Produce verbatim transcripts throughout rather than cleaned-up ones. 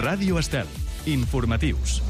Ràdio Estel. Informatius.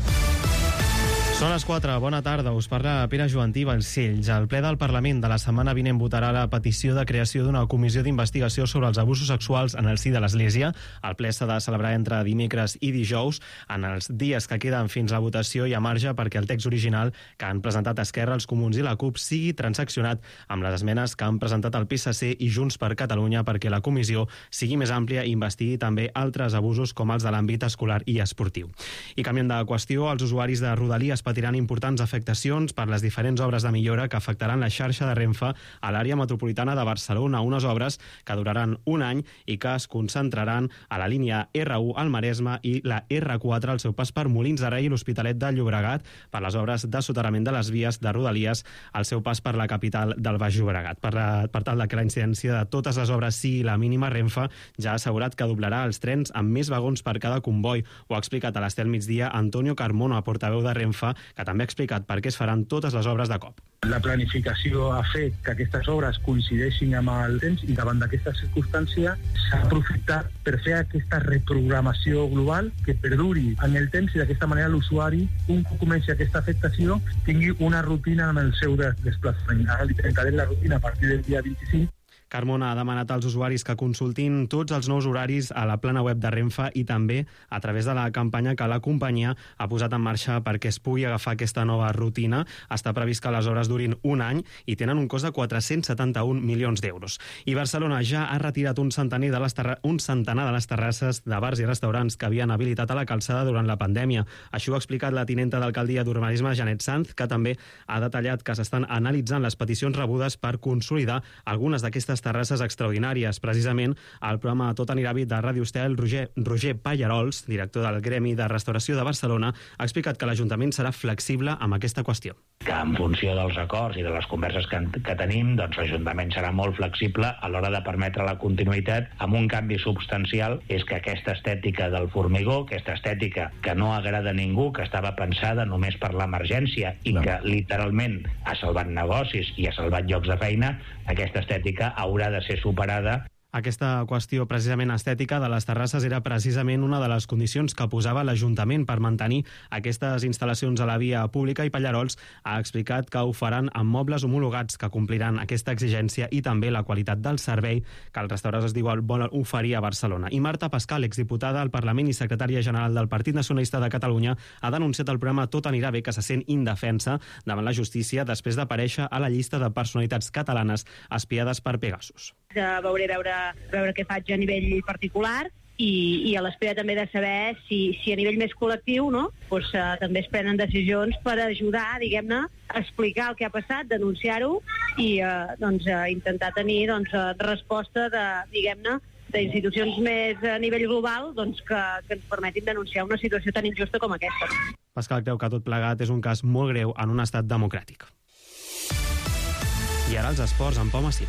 Són les quatre, bona tarda, us parla Pere Joantí Balcells. El ple del Parlament de la setmana vinent votarà la petició de creació d'una comissió d'investigació sobre els abusos sexuals en el si de l'Església. El ple s'ha de celebrar entre dimecres i dijous. En els dies que queden fins a la votació hi ha marge perquè el text original que han presentat Esquerra, els Comuns i la CUP sigui transaccionat amb les esmenes que han presentat el P S C i Junts per Catalunya perquè la comissió sigui més àmplia i investigui també altres abusos com els de l'àmbit escolar i esportiu. I canviant de qüestió, els usuaris de Rodalies patiran importants afectacions per les diferents obres de millora que afectaran la xarxa de Renfe a l'àrea metropolitana de Barcelona, unes obres que duraran un any i que es concentraran a la línia R u al Maresme i la R quatre al seu pas per Molins de Rei i l'Hospitalet de Llobregat per les obres de soterrament de les vies de Rodalies al seu pas per la capital del Baix Llobregat. Per, la, per tal de que la incidència de totes les obres sigui la mínima, Renfe ja ha assegurat que doblarà els trens amb més vagons per cada comboi. Ho ha explicat a l'Estel Migdia Antonio Carmona, portaveu de Renfe, que també ha explicat per què es faran totes les obres de cop. La planificació ha fet que aquestes obres coincideixin amb el temps i davant d'aquesta circumstància s'ha aprofitat per fer aquesta reprogramació global que perduri en el temps i d'aquesta manera l'usuari, un cop comenci aquesta afectació, tingui una rutina amb el seu desplaçament. Ara li trencarem la rutina a partir del dia vint-i-cinc. Carmona ha demanat als usuaris que consultin tots els nous horaris a la plana web de Renfe i també a través de la campanya que la companyia ha posat en marxa perquè es pugui agafar aquesta nova rutina. Està previst que les obres durin un any i tenen un cost de quatre-cents setanta-un milions d'euros. I Barcelona ja ha retirat un centenar de les, terra... un centenar de les terrasses de bars i restaurants que havien habilitat a la calçada durant la pandèmia. Això ho ha explicat la tinenta d'alcaldia d'Urbanisme, Janet Sanz, que també ha detallat que s'estan analitzant les peticions rebudes per consolidar algunes d'aquestes terrasses extraordinàries. Precisament, al programa Tot anirà bé de Ràdio Estel, Roger, Roger Pallarols, director del Gremi de Restauració de Barcelona, ha explicat que l'Ajuntament serà flexible amb aquesta qüestió. Que en funció dels acords i de les converses que, que tenim, doncs l'Ajuntament serà molt flexible a l'hora de permetre la continuïtat amb un canvi substancial, és que aquesta estètica del formigó, aquesta estètica que no agrada a ningú, que estava pensada només per l'emergència i no. que literalment ha salvat negocis i ha salvat llocs de feina, aquesta estètica haurà de ser superada. Aquesta qüestió precisament estètica de les terrasses era precisament una de les condicions que posava l'Ajuntament per mantenir aquestes instal·lacions a la via pública i Pallarols ha explicat que ho faran amb mobles homologats que compliran aquesta exigència i també la qualitat del servei que els restaurants es diuen volen oferir a Barcelona. I Marta Pascal, exdiputada al Parlament i secretària general del Partit Nacionalista de Catalunya, ha denunciat el programa Tot anirà bé, que se sent indefensa davant la justícia després d'aparèixer a la llista de personalitats catalanes espiades per Pegasus. Ja veuré veure, veure què faig a nivell particular i, i a l'espera també de saber si, si a nivell més col·lectiu, no? pues, uh, també es prenen decisions per ajudar, diguem-ne, a explicar el que ha passat, denunciar-ho i uh, doncs, uh, intentar tenir doncs, uh, resposta de, diguem-ne, d'institucions més a nivell global doncs, que, que ens permetin denunciar una situació tan injusta com aquesta. Pascal creu que tot plegat és un cas molt greu en un estat democràtic. I ara els esports amb Pau Massí.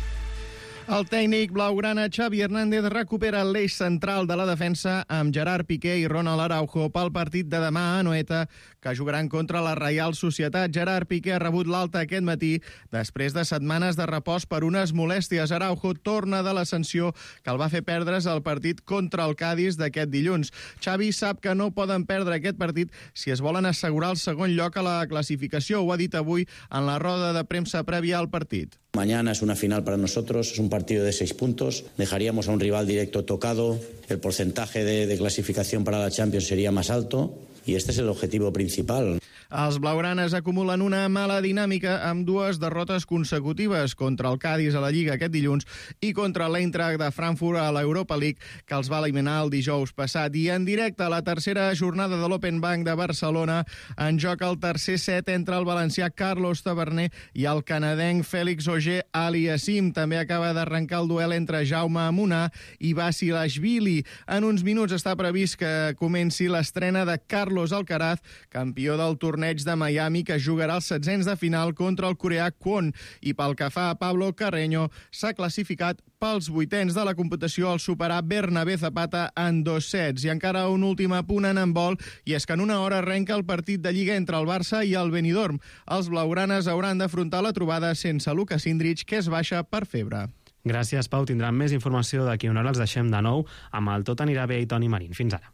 El tècnic blaugrana Xavi Hernández recupera l'eix central de la defensa amb Gerard Piqué i Ronald Araujo pel partit de demà a Anoeta, que jugaran contra la Reial Societat. Gerard Piqué ha rebut l'alta aquest matí després de setmanes de repòs per unes molèsties. Araujo torna de l'ascensió que el va fer perdre's el partit contra el Cádiz d'aquest dilluns. Xavi sap que no poden perdre aquest partit si es volen assegurar el segon lloc a la classificació. Ho ha dit avui en la roda de premsa prèvia al partit. Mañana es una final para nosotros, es un partido de seis puntos, dejaríamos a un rival directo tocado, el porcentaje de, de clasificación para la Champions sería más alto y este es el objetivo principal. Els blaugranes acumulen una mala dinàmica amb dues derrotes consecutives contra el Cádiz a la Lliga aquest dilluns i contra l'Eintracht de Frankfurt a l'Europa League, que els va eliminar el dijous passat. I en directe a la tercera jornada de l'Open Bank de Barcelona en joc el tercer set entre el valencià Carlos Taverner i el canadenc Félix Auger-Aliassime. També acaba d'arrencar el duel entre Jaume Munar i Basilashvili. En uns minuts està previst que comenci l'estrena de Carlos Alcaraz, campió del torneig de Miami, que jugarà els setzents de final contra el coreà Kwon. I pel que fa a Pablo Carreño, s'ha classificat pels vuitens de la competició al superar Bernabé Zapata en dos sets. I encara un últim apunt en handbol, i és que en una hora arrenca el partit de Lliga entre el Barça i el Benidorm. Els blaugranes hauran d'afrontar la trobada sense Luka Sindrich, que es baixa per febre. Gràcies, Pau. Tindran més informació d'aquí una hora. Els deixem de nou amb el Tot anirà bé i Toni Marín. Fins ara.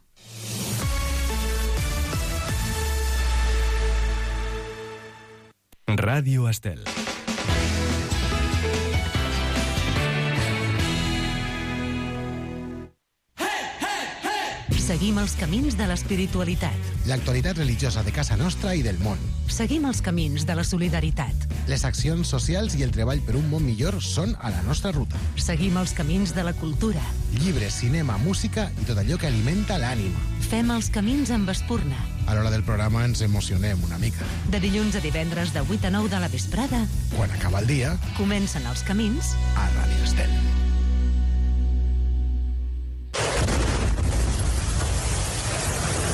Ràdio Estel. Seguim els camins de l'espiritualitat. L'actualitat religiosa de casa nostra i del món. Seguim els camins de la solidaritat. Les accions socials i el treball per un món millor són a la nostra ruta. Seguim els camins de la cultura. Llibres, cinema, música i tot allò que alimenta l'ànima. Fem els camins amb Espurna. A l'hora del programa ens emocionem una mica. De dilluns a divendres de vuit a nou de la vesprada. Quan acaba el dia, comencen els camins a Ràdio Estel.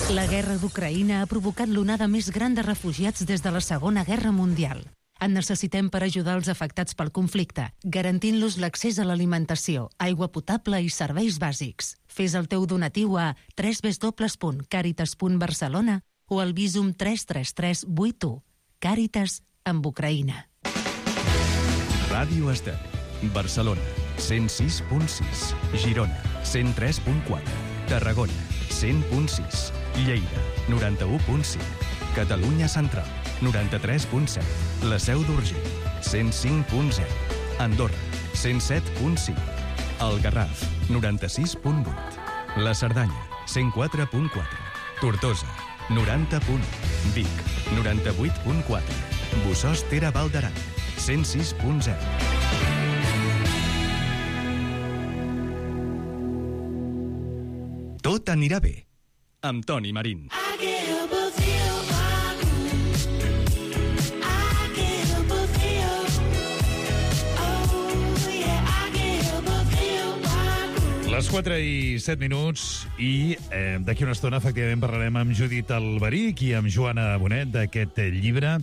La guerra d'Ucraïna ha provocat l'onada més gran de refugiats des de la Segona Guerra Mundial. En necessitem per ajudar els afectats pel conflicte, garantint-los l'accés a l'alimentació, aigua potable i serveis bàsics. Fes el teu donatiu a w w w punt caritas punt barcelona o al Visum tres tres tres vuit u. Càritas amb Ucraïna. Ràdio Estel. Barcelona, cent sis punt sis. Girona, cent tres punt quatre. Tarragona, cent punt sis. Lleida, noranta-u punt cinc. Catalunya Central, noranta-tres punt set. La Seu d'Urgell, cent cinc punt zero. Andorra, cent set punt cinc. El Garraf, noranta-sis punt vuit. La Cerdanya, cent quatre punt quatre. Tortosa, noranta punt u. Vic, noranta-vuit punt quatre. Bossòst Tere Val d'Aran, cent sis punt zero. Tot anirà bé, amb Toni Marín. Les quatre i set minuts i eh, d'aquí una estona, efectivament, parlarem amb Judit Alberic i amb Joana Bonet d'aquest llibre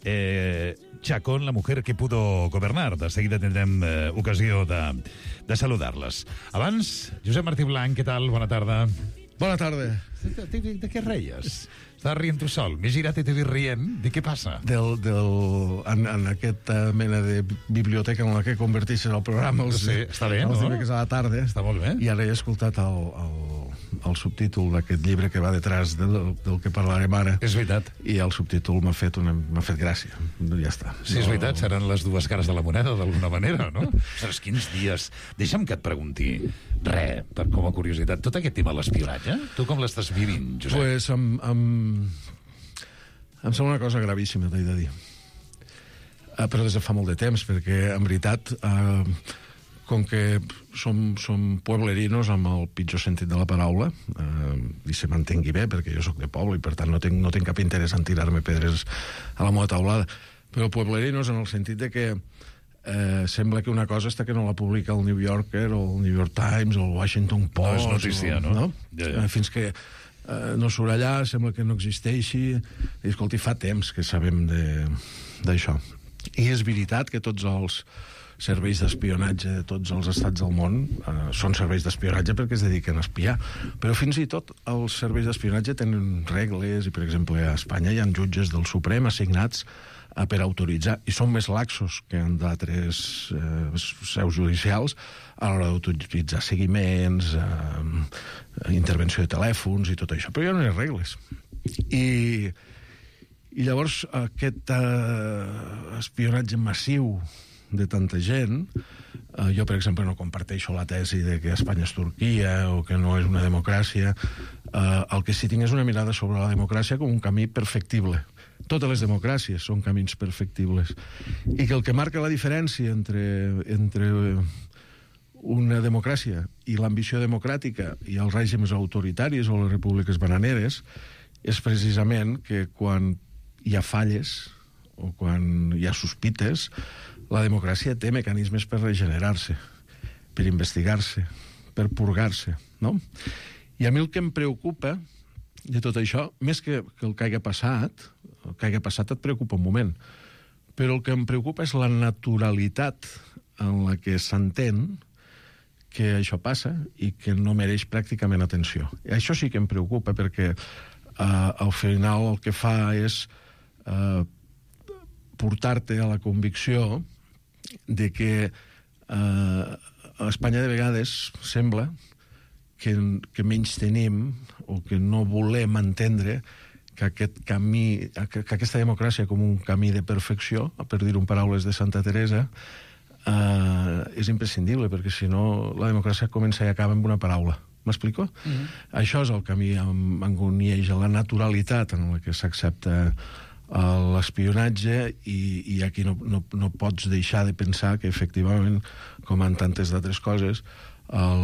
eh, Chacón, la mujer que pudo gobernar. De seguida tindrem eh, ocasió de, de saludar-les. Abans, Josep Martí Blanc, què tal? Bona tarda. Bona tarda. De, de, de, de què reies? Estàs rient tu sol. M'he girat i t'he vist rient. De què passa? Del, del, en, en aquesta mena de biblioteca en la que converteixes el programa els, sí, està bé, els no? dimecres a la tarda. Està molt bé. I ara he escoltat el, el, el subtítol d'aquest llibre que va detrás del, del que parlarem ara. És veritat. I el subtítol m'ha fet, una, m'ha fet gràcia. Ja està. Sí, és veritat. Seran les dues cares de la moneda, d'alguna manera, no? Saps quins dies... Deixa'm que et pregunti, re, per, com a curiositat, tot aquest tema de l'espionatge, tu com l'estàs vivint, Josep? Pues amb... amb... Em sembla una cosa gravíssima, t'he de dir. Uh, però des de fa molt de temps, perquè, en veritat, uh, com que som, som pueblerinos amb el pitjor sentit de la paraula, uh, i se m'entengui bé, perquè jo sóc de poble i, per tant, no tinc, no tinc cap interès en tirar-me pedres a la meva taulada, però pueblerinos en el sentit de que eh, sembla que una cosa està que no la publica el New Yorker o el New York Times o el Washington Post. No és notícia, no? no? Ja, ja. Uh, fins que Uh, no surt allà, sembla que no existeixi. I, escolti, fa temps que sabem d'això. I és veritat que tots els serveis d'espionatge de tots els estats del món uh, són serveis d'espionatge perquè es dediquen a espiar. Però fins i tot els serveis d'espionatge tenen regles i, per exemple, a Espanya hi ha jutges del Suprem assignats uh, per autoritzar, i són més laxos que en d'altres uh, seus judicials a l'hora d'autoritzar seguiments, eh, intervenció de telèfons i tot això. Però hi ha unes regles. I, i llavors aquest eh, espionatge massiu de tanta gent, eh, jo, per exemple, no comparteixo la tesi de que Espanya és Turquia o que no és una democràcia. Eh, el que sí tinc és una mirada sobre la democràcia com un camí perfectible. Totes les democràcies són camins perfectibles. I que el que marca la diferència entre... entre una democràcia i l'ambició democràtica i els règims autoritaris o les repúbliques bananeres és precisament que quan hi ha falles o quan hi ha sospites, la democràcia té mecanismes per regenerar-se, per investigar-se, per purgar-se, no? I a mi el que em preocupa de tot això, més que, que el que hagi passat, el que hagi passat et preocupa un moment, però el que em preocupa és la naturalitat en la que s'entén que això passa i que no mereix pràcticament atenció. I això sí que em preocupa perquè eh, al final el que fa és eh, portar-te a la convicció de que eh, a Espanya de vegades sembla que, que menys tenim o que no volem entendre que aquest camí, que, que aquesta democràcia com un camí de perfecció, per dir-ho en paraules de Santa Teresa, eh, és imprescindible, perquè si no la democràcia comença i acaba amb una paraula. M'explico? Mm-hmm. Això és el camí amb, amb on hi ha la naturalitat en la que s'accepta l'espionatge i, i aquí no, no, no pots deixar de pensar que efectivament, com en tantes d'altres coses, el,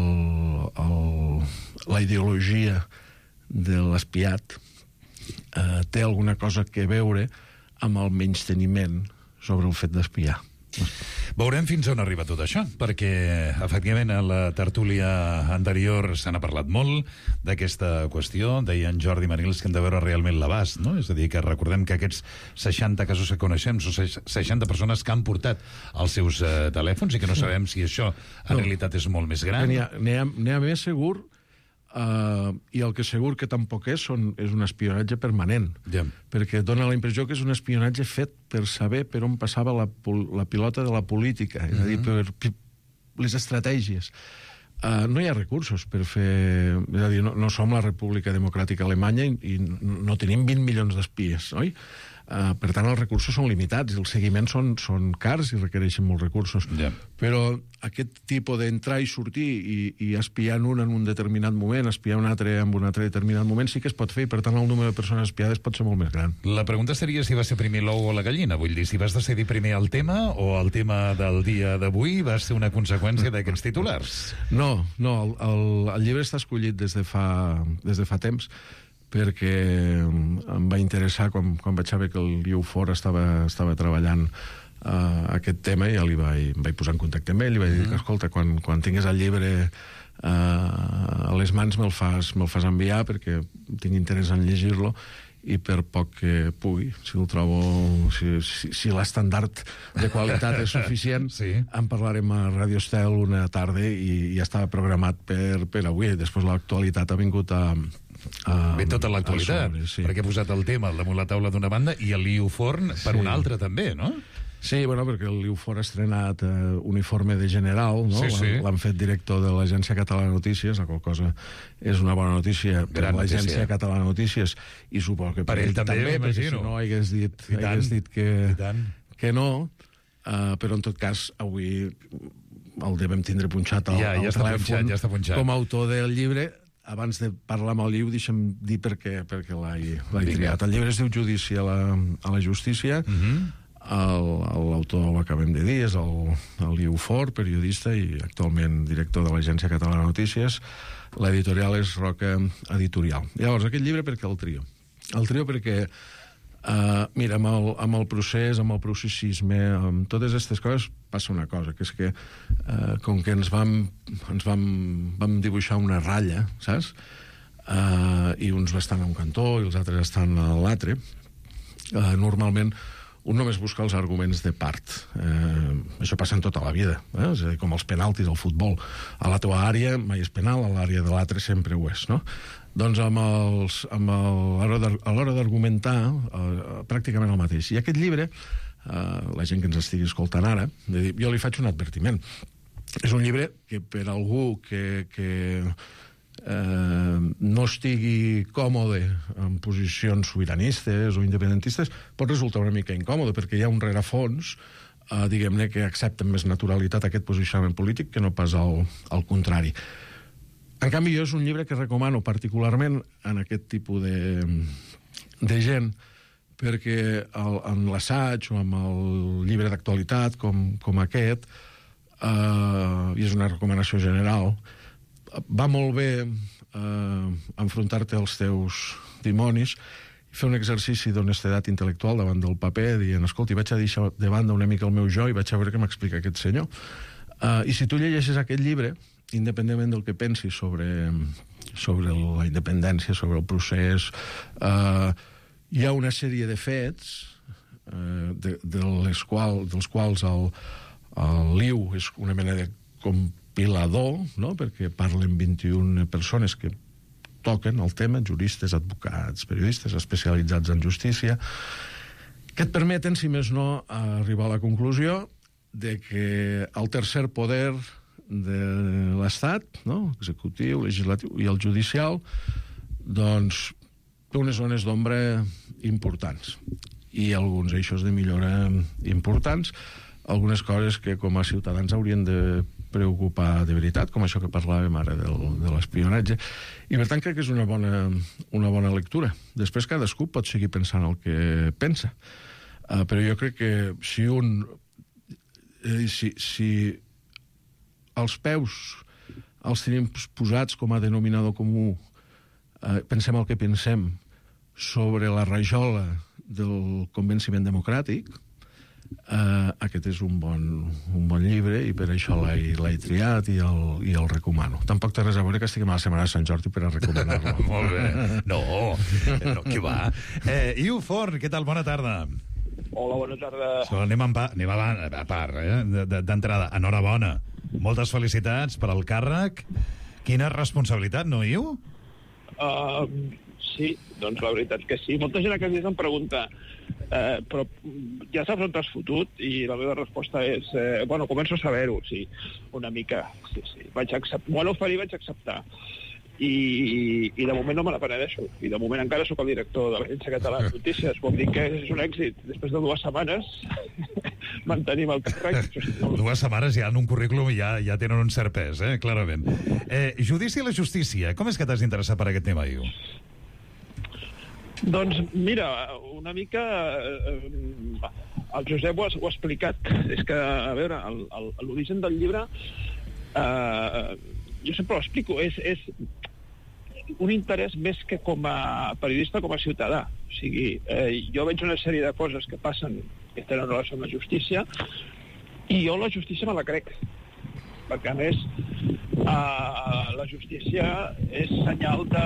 el, la ideologia de l'espiat eh, té alguna cosa que veure amb el menysteniment sobre el fet d'espiar. Veurem fins on arriba tot això, perquè efectivament a la tertúlia anterior se n'ha parlat molt d'aquesta qüestió. Deia en Jordi Marils que hem de veure realment l'abast, no? És a dir, que recordem que aquests seixanta casos que coneixem són seixanta persones que han portat els seus eh, telèfons i que no sabem si això en no. realitat és molt més gran. N'hi ha, n'hi ha, n'hi ha més segur. Uh, i el que segur que tampoc és són, és un espionatge permanent, yeah. perquè dona la impressió que és un espionatge fet per saber per on passava la, la pilota de la política, mm-hmm. és a dir, per, per les estratègies. Uh, no hi ha recursos per fer... És a dir, no, no som la República Democràtica Alemanya i, i no tenim vint milions d'espies, oi? Uh, per tant, els recursos són limitats i els seguiments són, són cars i requereixen molts recursos. Yeah. Però aquest tipus d'entrar i sortir i, i espiar un en un determinat moment, espiar un altre en un altre determinat moment, sí que es pot fer i, per tant, el número de persones espiades pot ser molt més gran. La pregunta seria si va ser primer l'ou o la gallina. Vull dir, si vas decidir primer el tema o el tema del dia d'avui va ser una conseqüència d'aquests titulars? No, no. El, el, el llibre està escollit des de fa, des de fa temps perquè em va interessar quan, quan vaig saber que el Liu For estava, estava treballant uh, aquest tema i ja li vaig, em vaig posar en contacte amb ell i vaig dir que, escolta, quan, quan tingués el llibre uh, a les mans me'l fas, me'l fas enviar perquè tinc interès en llegir-lo i per poc que pugui, si el trobo, si, si, si l'estandard de qualitat és suficient, sí. en parlarem a Radio Estel una tarda i ja estava programat per, per avui. Després l'actualitat ha vingut a... Uh, Ve tota l'actualitat, sobre, sí. perquè he posat el tema damunt la taula d'una banda i el Liu Forn per sí. una altra també, no? Sí, bueno, perquè el Liu Forn ha estrenat uh, uniforme de general, no? Sí, sí. L'han fet director de l'Agència Catalana de Notícies, la qual cosa és una bona notícia per l'Agència Catalana de Notícies i suposo que per, per ell també, també perquè si no hagués dit, hagués dit que, que no, uh, però en tot cas avui el devem tindre punxat al, ja, ja al telèfon punxat, ja està punxat. Com a autor del llibre. Abans de parlar amb el Liu, deixa'm dir per què, perquè l'he triat. El llibre es diu Judici a la, a la justícia. Uh-huh. L'autor ho acabem de dir, és el, el Liu For, periodista i actualment director de l'Agència Catalana de Notícies. L'editorial és Roca Editorial. Llavors, aquest llibre per què el trio? El trio perquè, uh, mira, amb el, amb el procés, amb el processisme, amb totes aquestes coses, passa una cosa, que és que uh, com que ens vam, ens vam, vam dibuixar una ratlla, saps? Uh, I uns estan a un cantó i els altres estan a l'altre, uh, normalment un només busca els arguments de part. Uh, això passa en tota la vida, eh? És a dir, com els penaltis al futbol. A la teva àrea mai és penal, a l'àrea de l'altre sempre ho és, no? Doncs amb els, amb el, a l'hora d'argumentar, uh, pràcticament el mateix. I aquest llibre, Uh, la gent que ens estigui escoltant ara, de dir, jo li faig un advertiment. És un llibre que per algú que, que uh, no estigui còmode en posicions sobiranistes o independentistes pot resultar una mica incòmode perquè hi ha un rerefons, uh, diguem-ne, que accepta amb més naturalitat aquest posicionament polític que no pas el, el contrari. En canvi, jo és un llibre que recomano particularment en aquest tipus de, de gent perquè el, en l'assaig o amb el llibre d'actualitat com, com aquest, eh, i és una recomanació general, va molt bé eh, enfrontar-te als teus dimonis i fer un exercici d'honestedat intel·lectual davant del paper, dient, escolta, vaig a deixar de banda una mica el meu jo i vaig a veure què m'explica aquest senyor. Eh, I si tu llegeixes aquest llibre, independentment del que pensis sobre, sobre la independència, sobre el procés... Eh, hi ha una sèrie de fets eh, de, de les qual, dels quals el, el Liu és una mena de compilador, no? Perquè parlen vint-i-una persones que toquen el tema, juristes, advocats, periodistes especialitzats en justícia, que et permeten, si més no, arribar a la conclusió de que el tercer poder de l'Estat, no? Executiu, legislatiu i el judicial, doncs té unes zones d'ombra importants i alguns eixos de millora importants, algunes coses que com a ciutadans haurien de preocupar de veritat, com això que parlàvem ara del, de l'espionatge, i per tant crec que és una bona, una bona lectura. Després cadascú pot seguir pensant el que pensa, uh, però jo crec que si un eh, si, si els peus els tenim posats com a denominador comú, uh, pensem el que pensem sobre la rajola del convenciment democràtic, uh, aquest és un bon, un bon llibre i per això l'he triat i el, i el recomano. Tampoc té res a veure que estiguem a la Setmana de Sant Jordi per a recomanar-lo. Molt bé. No, no, qui va? Eh, Iu Forn, què tal? Bona tarda. Hola, bona tarda. So, anem, a, anem a, a part, eh? d'entrada. Enhorabona. Moltes felicitats per al càrrec. Quina responsabilitat, no, Iu? Uh, sí, doncs la veritat que sí. Molta gent a casa em pregunta eh, però ja saps on t'has fotut? I la meva resposta és eh, bueno, començo a saber-ho, sí, una mica. Sí, sí. Vaig acceptar, m'ho van oferir, vaig acceptar. I, i, i de moment no me la penedeixo. I de moment encara sóc el director de l'Agència Catalana de Notícies. Vol dir que és un èxit. Després de dues setmanes mantenim el càrrec. Dues setmanes ja en un currículum ja, ja tenen un cert pes, eh? Clarament. Eh, judici i la justícia. Com és que t'has interessat per aquest tema, Iu? Doncs mira, una mica eh, el Josep ho ha, ho ha explicat. És que, a veure, l'origen del llibre eh, jo sempre ho explico, és, és un interès més que com a periodista, com a ciutadà. O sigui, eh, jo veig una sèrie de coses que passen que tenen relació amb la justícia i jo la justícia me la crec. Perquè, a més, eh, la justícia és senyal de,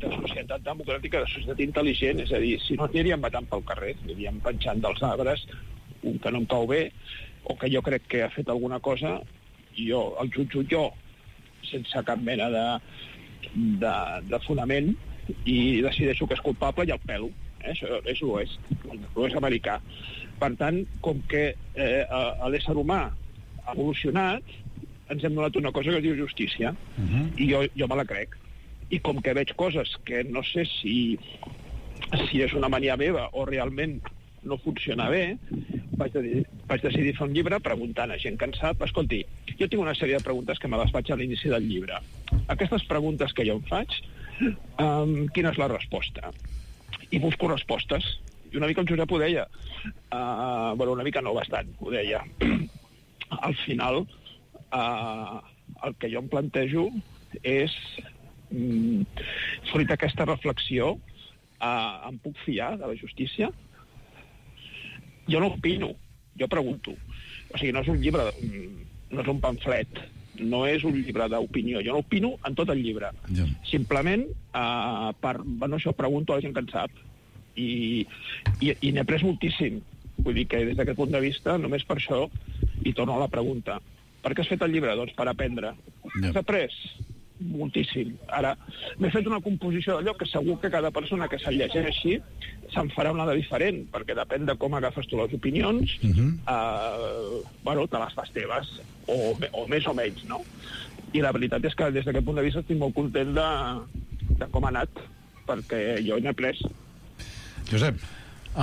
de societat democràtica, de societat intel·ligent. És a dir, si no aniríem matant pel carrer, aniríem penjant dels arbres un que no em cau bé o que jo crec que ha fet alguna cosa, jo el jutjo jo sense cap mena de, de, de fonament i decideixo que és culpable i el pelo. Eh? Això és l'oest, l'oest americà. Per tant, com que eh, l'ésser humà ha evolucionat, ens hem donat una cosa que es diu justícia. Uh-huh. I jo, jo me la crec. I com que veig coses que no sé si, si és una mania meva o realment no funciona bé, vaig decidir, vaig decidir fer un llibre preguntant a gent que en sap. Escolti, jo tinc una sèrie de preguntes que me les faig a l'inici del llibre. Aquestes preguntes que jo em faig, um, quina és la resposta? I busco respostes. I una mica el Josep ho deia. Uh, bueno, una mica no, bastant, ho deia. Al final, uh, el que jo em plantejo és, um, fruit d'aquesta reflexió, uh, em puc fiar de la justícia? Jo no opino, jo pregunto. O sigui, no és un llibre, no és un pamflet, no és un llibre d'opinió. Jo no opino en tot el llibre. Ja. Simplement, eh, per, bueno, això pregunto a la gent que en sap. I, i, i n'he après moltíssim. Vull dir que des d'aquest punt de vista, només per això, i torno a la pregunta. Per què has fet el llibre? Doncs per aprendre. Ja. Has après? Moltíssim. Ara, m'he fet una composició d'allò que segur que cada persona que se'l llegeixi se'n farà una de diferent, perquè depèn de com agafes tu les opinions, uh-huh. eh, bueno, te les fas teves, o, o més o menys, no? I la veritat és que des d'aquest punt de vista estic molt content de, de com ha anat, perquè jo n'he après. Josep.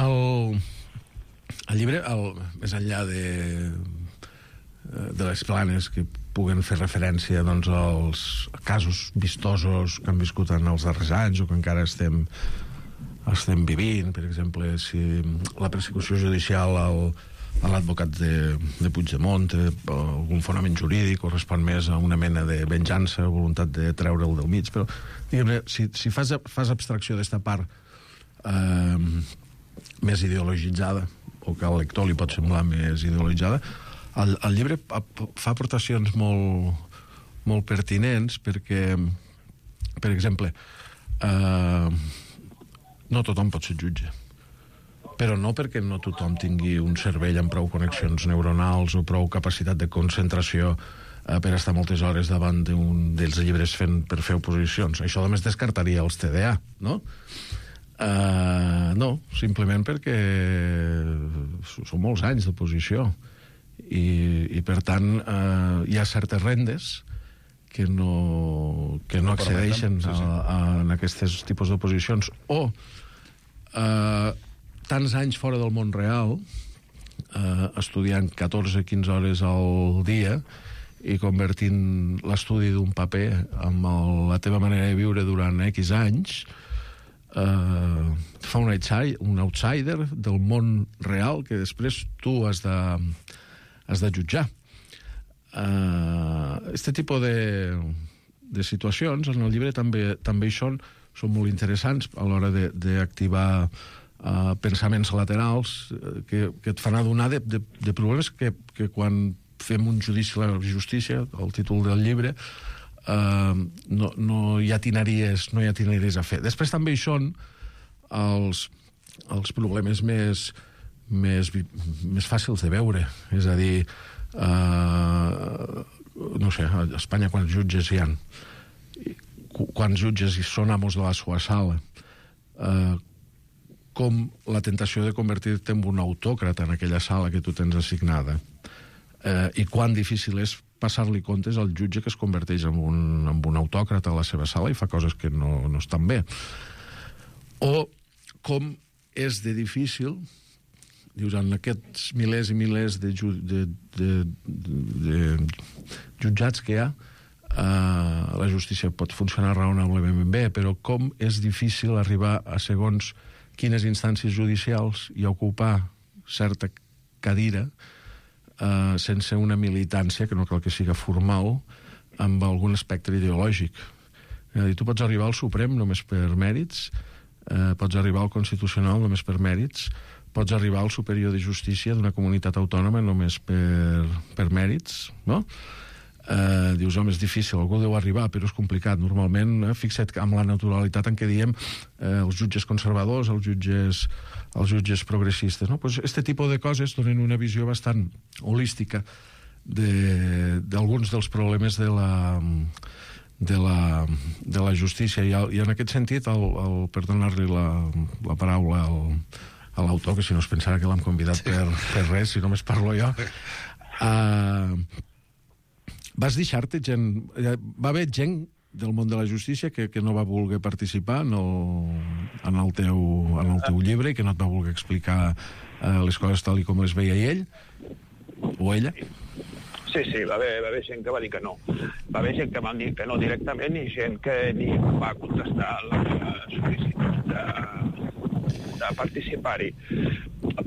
El, el llibre, el, més enllà de, de les planes que puguen fer referència doncs, als casos vistosos que han viscut en els darrers anys o que encara estem, estem vivint. Per exemple, si la persecució judicial al, a l'advocat de, de Puigdemont té algun fonament jurídic o respon més a una mena de venjança o voluntat de treure'l del mig. Però, diguem-ne, si, si fas, fas abstracció d'esta part eh, més ideologitzada o que al lector li pot semblar més ideologitzada, El, el llibre fa aportacions molt, molt pertinents perquè, per exemple, eh, no tothom pot ser jutge. Però no perquè no tothom tingui un cervell amb prou connexions neuronals o prou capacitat de concentració eh, per estar moltes hores davant d'un dels llibres fent, per fer oposicions. Això només descartaria els T D A, no? Eh, no, simplement perquè són molts anys d'oposició. I, i per tant eh, hi ha certes rendes que no, que no accedeixen sí, sí. A, a, en aquests tipus d'oposicions, o eh, tants anys fora del món real, eh, estudiant catorze a quinze hores al dia i convertint l'estudi d'un paper amb el, la teva manera de viure durant X anys, eh, fa un outsider, un outsider del món real que després tu has de, has de jutjar. Uh, este tipus de, de situacions en el llibre també, també hi són, són molt interessants a l'hora d'activar uh, pensaments laterals que, que et fan adonar de, de, de problemes que, que quan fem un judici a la justícia, el títol del llibre, uh, no, no, hi ha tinaries, no hi ha tinaries a fer. Després també hi són els, els problemes més, més, més fàcils de veure, és a dir, Uh, no sé, a Espanya quants jutges hi ha, quants jutges hi són amos de la sua sala, uh, com la tentació de convertir-te en un autòcrata en aquella sala que tu tens assignada, uh, i quan difícil és passar-li comptes al jutge que es converteix en un, en un autòcrata a la seva sala i fa coses que no, no estan bé, o com és de difícil, dius, en aquests milers i milers de, ju de, de, de, de jutjats que hi ha, uh, la justícia pot funcionar raonablement bé, però com és difícil arribar a segons quines instàncies judicials i ocupar certa cadira uh, sense una militància, que no cal que siga formal, amb algun espectre ideològic. És a dir, tu pots arribar al Suprem només per mèrits, uh, pots arribar al Constitucional només per mèrits, pots arribar al superior de justícia d'una comunitat autònoma només per, per mèrits, no? Eh, dius, home, és difícil, algú deu arribar, però és complicat. Normalment, eh, fixa't amb la naturalitat en què diem eh, els jutges conservadors, els jutges, els jutges progressistes, no? Pues este tipus de coses donen una visió bastant holística d'alguns de, dels problemes de la, de la, de la justícia. I, i en aquest sentit, el, el, per donar-li la, la paraula al a l'autor, que si no es pensarà que l'hem convidat sí. per, per res, si només parlo jo. Uh, vas deixar-te gent... Va haver gent del món de la justícia que, que no va voler participar en el, en, el teu, en el teu llibre i que no et va voler explicar uh, les coses tal i com les veia ell o ella? Sí, sí, va haver, va haver gent que va dir que no. Va haver gent que va dir que no directament i gent que ni va contestar la sol·licitud de... de participar-hi.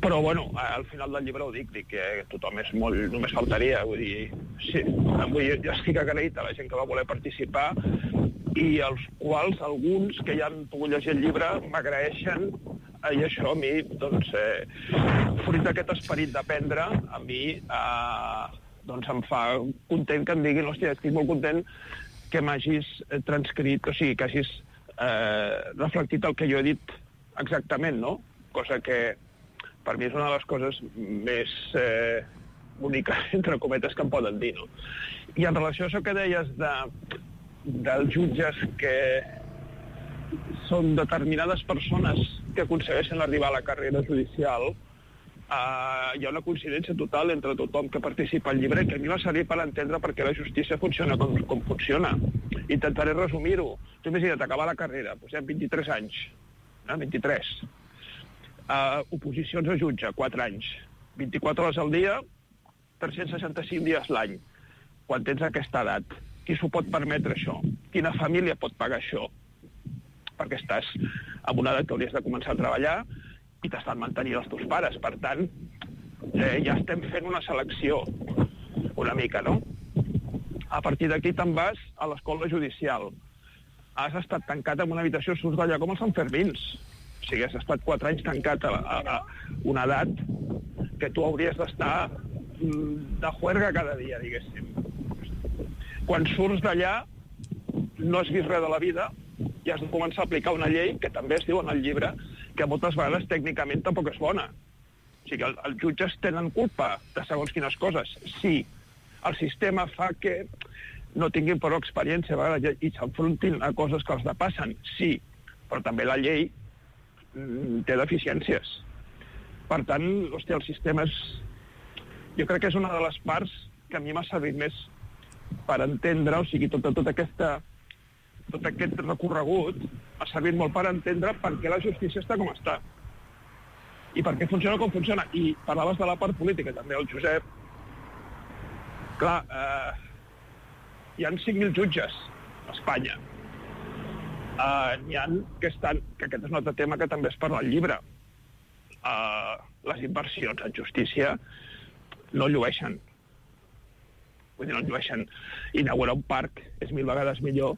Però, bueno, al final del llibre ho dic, dic que tothom és molt... només faltaria, vull dir... Sí, vull dir, jo estic agraït a la gent que va voler participar i els quals, alguns que ja han pogut llegir el llibre, m'agraeixen i això a mi, doncs, eh, fruit d'aquest esperit d'aprendre, a mi eh, doncs em fa content que em diguin, hòstia, estic molt content que m'hagis transcrit, o sigui, que hagis eh, reflectit el que jo he dit exactament, no? Cosa que per mi és una de les coses més eh, úniques, entre cometes, que em poden dir, no? I en relació a això que deies de, dels jutges que són determinades persones que aconsegueixen arribar a la carrera judicial, eh, hi ha una coincidència total entre tothom que participa al llibre que a mi m'ha servit per entendre per què la justícia funciona com, com funciona. Intentaré resumir-ho. Tu imagina't acabar la carrera, doncs hi ha vint-i-tres anys, vint-i-tres. Uh, oposicions a jutge, quatre anys. vint-i-quatre hores al dia, tres-cents seixanta-cinc dies l'any. Quan tens aquesta edat, qui s'ho pot permetre això? Quina família pot pagar això? Perquè estàs en una edat que hauries de començar a treballar i t'estan mantenint els teus pares. Per tant, eh, ja estem fent una selecció una mica, no? A partir d'aquí te'n vas a l'escola judicial. Has estat tancat en una habitació, surts d'allà com els Sanfermins. O sigui, has estat quatre anys tancat a, a, a una edat que tu hauries d'estar de juerga cada dia, diguéssim. Quan surts d'allà, no has vist res de la vida i has de començar a aplicar una llei que també es diu en el llibre que moltes vegades tècnicament tampoc és bona. O sigui, el, els jutges tenen culpa de segons quines coses. Sí, el sistema fa que no tinguin prou experiència a vegades i s'enfrontin a coses que els depassen, sí, però també la llei mm, té deficiències. Per tant, hòstia, el sistema és... Jo crec que és una de les parts que a mi m'ha servit més per entendre, o sigui, tot, tot, aquesta, tot aquest recorregut ha servit molt per entendre per què la justícia està com està i per què funciona com funciona. I parlaves de la part política, també, el Josep. Clar, eh, hi ha cinc mil jutges a Espanya. Uh, n'hi ha que estan, que aquest és un altre tema que també es parla al llibre. Uh, les inversions en justícia no llueixen. Vull dir, no llueixen. Inaugurar un parc és mil vegades millor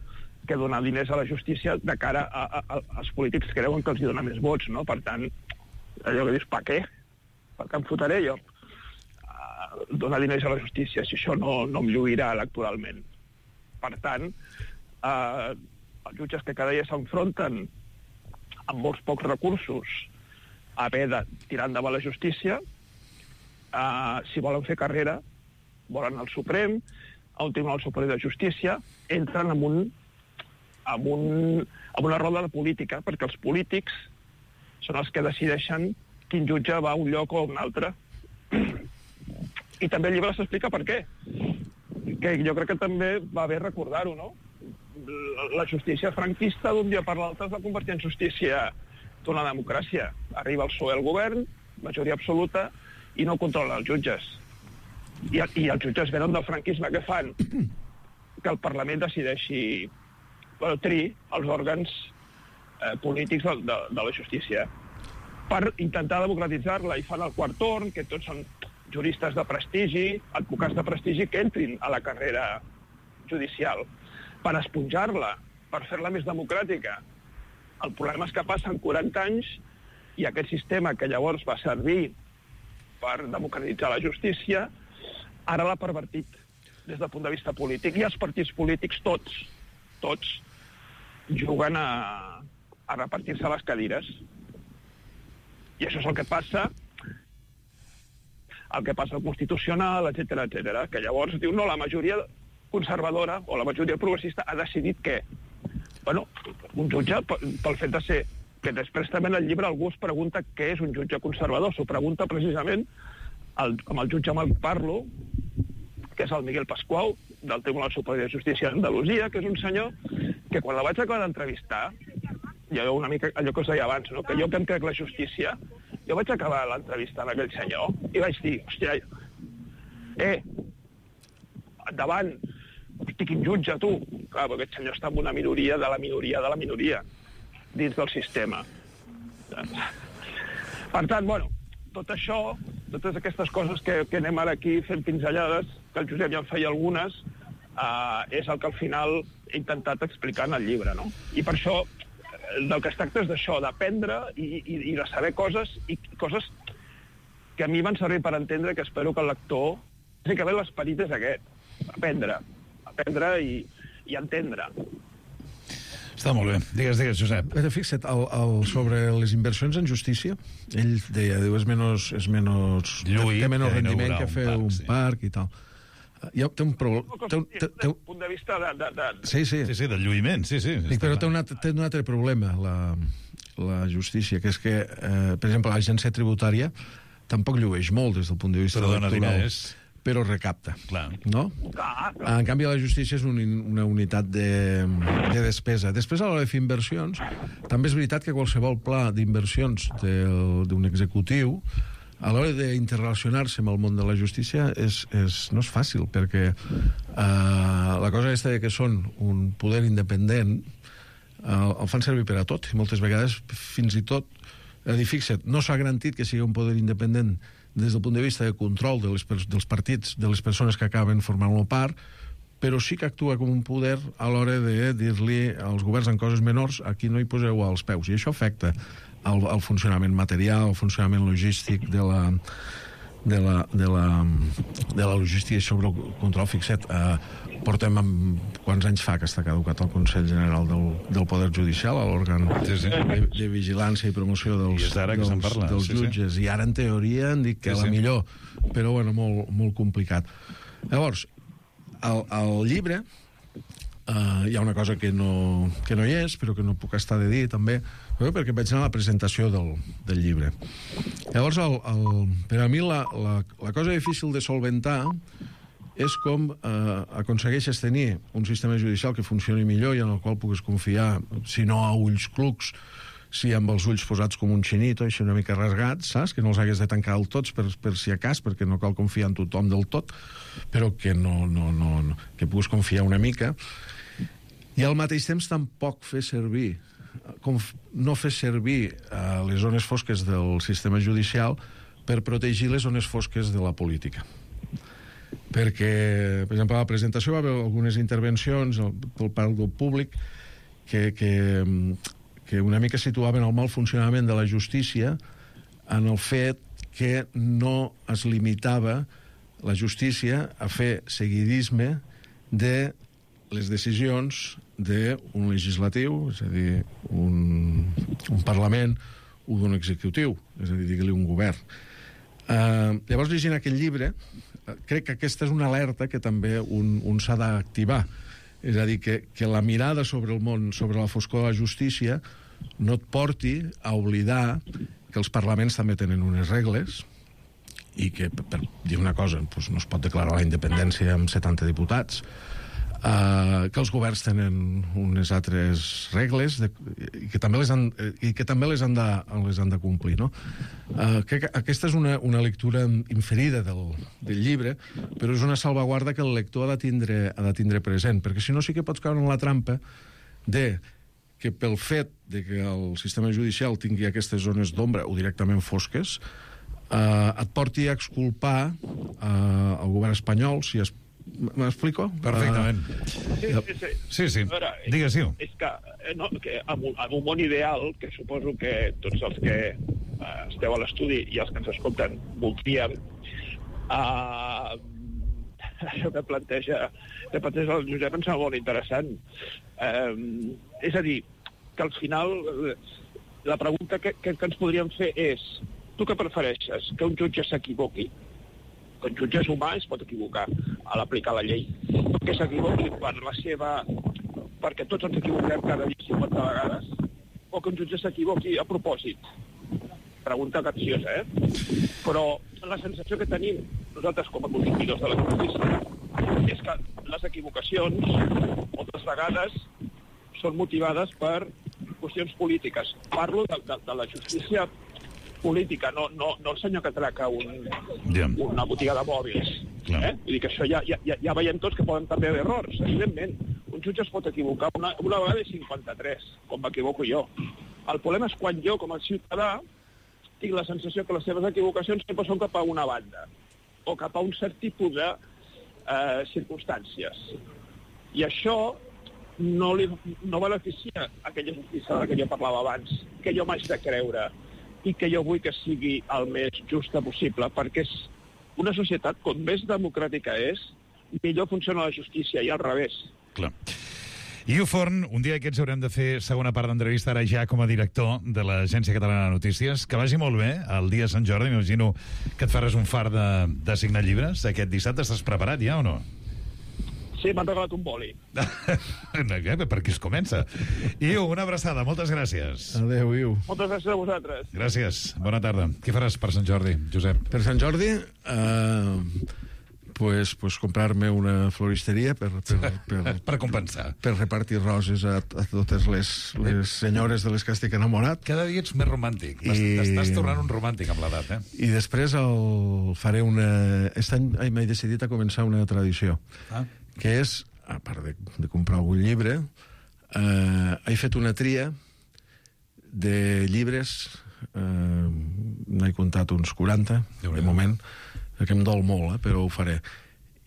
que donar diners a la justícia de cara a, a, a, als polítics que creuen que els hi dona més vots, no? Per tant, allò que dius, per què? Per què em fotré jo? Uh, donar diners a la justícia, si això no, no em lluirà electoralment. Per tant, uh, els jutges que cada dia s'enfronten amb molts pocs recursos a haver de tirar endavant la justícia, eh, si volen fer carrera, volen al Suprem, a un Tribunal Superior de Justícia, entren en, un, en, un, en una roda de política, perquè els polítics són els que decideixen quin jutge va a un lloc o a un altre. I també el llibre s'explica per què. Que jo crec que també va bé recordar-ho, no? La justícia franquista d'un dia per l'altre es va convertir en justícia d'una democràcia. Arriba el P S O E al govern, majoria absoluta, i no controla els jutges. I, i els jutges venen del franquisme. Què fan? Que el Parlament decideixi, bueno, tri els òrgans eh, polítics de, de, de la justícia per intentar democratitzar-la, i fan el quart torn, que tots són juristes de prestigi, advocats de prestigi, que entrin a la carrera judicial per esponjar-la, per fer-la més democràtica. El problema és que passen quaranta anys i aquest sistema que llavors va servir per democratitzar la justícia, ara l'ha pervertit des del punt de vista polític. I els partits polítics, tots, tots, juguen a, a repartir-se les cadires. I això és el que passa el que passa al Constitucional, etcètera, etcètera, que llavors diu, no, la majoria conservadora o la majoria progressista ha decidit que, bueno, un jutge, pel fet de ser, que després també en el llibre algú es pregunta què és un jutge conservador, s'ho pregunta precisament el, amb el jutge amb el que parlo, que és el Miguel Pasqual, del Tribunal Superior de Justícia d'Andalusia, que és un senyor que quan la vaig acabar d'entrevistar, jo una mica allò que us deia abans, no? Que jo que em crec la justícia, jo vaig acabar l'entrevista amb aquell senyor i vaig dir, hòstia, eh, endavant, hosti, quin jutge, tu. Clar, perquè aquest senyor està en una minoria de la minoria de la minoria dins del sistema. Per tant, bueno, tot això, totes aquestes coses que, que anem ara aquí fent pinzellades, que el Josep ja en feia algunes, eh, és el que al final he intentat explicar en el llibre, no? I per això, del que es tracta és d'això, d'aprendre i, i, i de saber coses, i coses que a mi van servir per entendre, que espero que el lector... Bàsicament l'esperit és aquest, aprendre, aprendre i, i entendre. Està molt bé. Digues, digues, Josep. Però fixa't, el, el, sobre les inversions en justícia, ell deia, diu, és menys... És menys Lluït, té menys rendiment que fer un, un parc, parc, sí. parc i tal. Ja té un problema... Des del punt de vista de... de, de... Sí, sí. Sí, sí, del lluïment, sí, sí. Dic, però té un, altre, té un altre problema, la, la justícia, que és que, eh, per exemple, l'agència tributària tampoc llueix molt des del punt de vista però dona electoral. Diners. Però recapta. Clar. No? Clar, clar. En canvi, la justícia és un, una unitat de, de despesa. Després, a l'hora de fer inversions, també és veritat que qualsevol pla d'inversions d'un executiu, a l'hora d'interrelacionar-se amb el món de la justícia, és, és, no és fàcil, perquè eh, la cosa aquesta de que són un poder independent eh, el fan servir per a tot, i moltes vegades, fins i tot, eh, fixa't, no s'ha garantit que sigui un poder independent des del punt de vista de control de les, dels partits, de les persones que acaben formant-lo part, però sí que actua com un poder a l'hora de dir-li als governs en coses menors, aquí no hi poseu els peus, i això afecta el, el funcionament material, el funcionament logístic de la, de la, de la, de la logística sobre el control. Fixa't, eh, portem amb, quants anys fa que està caducat el Consell General del, del Poder Judicial, l'òrgan sí, sí. de, de vigilància i promoció dels, dels, parla, dels sí, jutges, sí. I ara en teoria han dit que sí, la sí. millor, però bueno, molt, molt complicat. Llavors, al, al llibre uh, hi ha una cosa que no, que no hi és, però que no puc estar de dir també, perquè vaig anar a la presentació del, del llibre. Llavors, el, el, per a mi la, la, la cosa difícil de solventar és com eh, aconsegueixes tenir un sistema judicial que funcioni millor i en el qual puguis confiar, si no a ulls clucs, si amb els ulls posats com un xinito, així una mica rasgats, saps? Que no els hagués de tancar del tots per, per si a cas, perquè no cal confiar en tothom del tot, però que no, no, no, no que puguis confiar una mica. I al mateix temps tampoc fer servir, com no fer servir eh, les zones fosques del sistema judicial per protegir les zones fosques de la política. Perquè, per exemple, a la presentació va haver algunes intervencions per part del públic que, que, que una mica situaven el mal funcionament de la justícia en el fet que no es limitava la justícia a fer seguidisme de les decisions d'un legislatiu, és a dir, un, un Parlament o d'un executiu, és a dir, digue-li un govern. Uh, llavors, llegint aquest llibre, crec que aquesta és una alerta que també un, un s'ha d'activar. És a dir, que, que la mirada sobre el món, sobre la foscor de la justícia, no et porti a oblidar que els parlaments també tenen unes regles i que, per dir una cosa, doncs no es pot declarar la independència amb setanta diputats, Uh, que els governs tenen unes altres regles de, i que també les han, i que també les han, de, les han de complir, no? Uh, crec que aquesta és una, una lectura inferida del, del llibre, però és una salvaguarda que el lector ha de tindre, ha de tindre present, perquè si no sí que pots caure en la trampa de que pel fet de que el sistema judicial tingui aquestes zones d'ombra o directament fosques, uh, et porti a exculpar uh, el govern espanyol si es M'explico? Perfectament. Uh, sí, sí, sí. Sí, sí. Veure, Digues-hi. És que, no, que en, un, en un món ideal, que suposo que tots els que uh, esteu a l'estudi i els que ens escolten voldríem, uh, això que planteja, que planteja el Josep em sembla molt interessant. Uh, és a dir, que al final la pregunta que, que, que ens podríem fer és: tu què prefereixes? Que un jutge s'equivoqui? Que un jutge és humà, es pot equivocar a l'aplicar la llei, que s'equivoqui per la seva... perquè tots ens equivoquem cada dia cinquanta vegades, o que un jutge s'equivoqui a propòsit. Pregunta capciosa, eh? Però la sensació que tenim nosaltres com a consumidors de la justícia és que les equivocacions moltes vegades són motivades per qüestions polítiques. Parlo de, de, de la justícia política, no, no, no el senyor que atraca un, yeah. una botiga de mòbils. Eh? Vull dir que això ja, ja, ja veiem tots que poden també haver errors, evidentment. Un jutge es pot equivocar una, una vegada i cinquanta-tres, com m'equivoco jo. El problema és quan jo, com a ciutadà, tinc la sensació que les seves equivocacions sempre són cap a una banda, o cap a un cert tipus de eh, circumstàncies. I això no, li, no beneficia aquella justícia de la que jo parlava abans, que jo m'haig de creure, i que jo vull que sigui el més justa possible, perquè és una societat, com més democràtica és, millor funciona la justícia, i al revés. Clar. Iu Forn, un dia aquests haurem de fer segona part d'entrevista ara ja com a director de l'Agència Catalana de Notícies. Que vagi molt bé el dia de Sant Jordi. M'imagino que et faràs un far de, de signar llibres aquest dissabte. Estàs preparat ja o no? Sí, m'han regalat un boli. Per qui es comença? Iu, una abraçada, moltes gràcies. Adéu, Iu. Moltes gràcies a vosaltres. Gràcies, bona tarda. Què faràs per Sant Jordi, Josep? Per Sant Jordi, eh, pues, pues comprar-me una floristeria per, per, per, per compensar. Per repartir roses a, a totes les, les senyores de les que estic enamorat. Cada dia ets més romàntic. I... T'estàs tornant un romàntic amb l'edat, eh? I després el faré una... Aquest any m'he decidit a començar una tradició. Ah. Que és, a part de, de comprar algun llibre, eh, he fet una tria de llibres, eh, n'he comptat uns quaranta, de moment, que em dol molt, eh, però ho faré.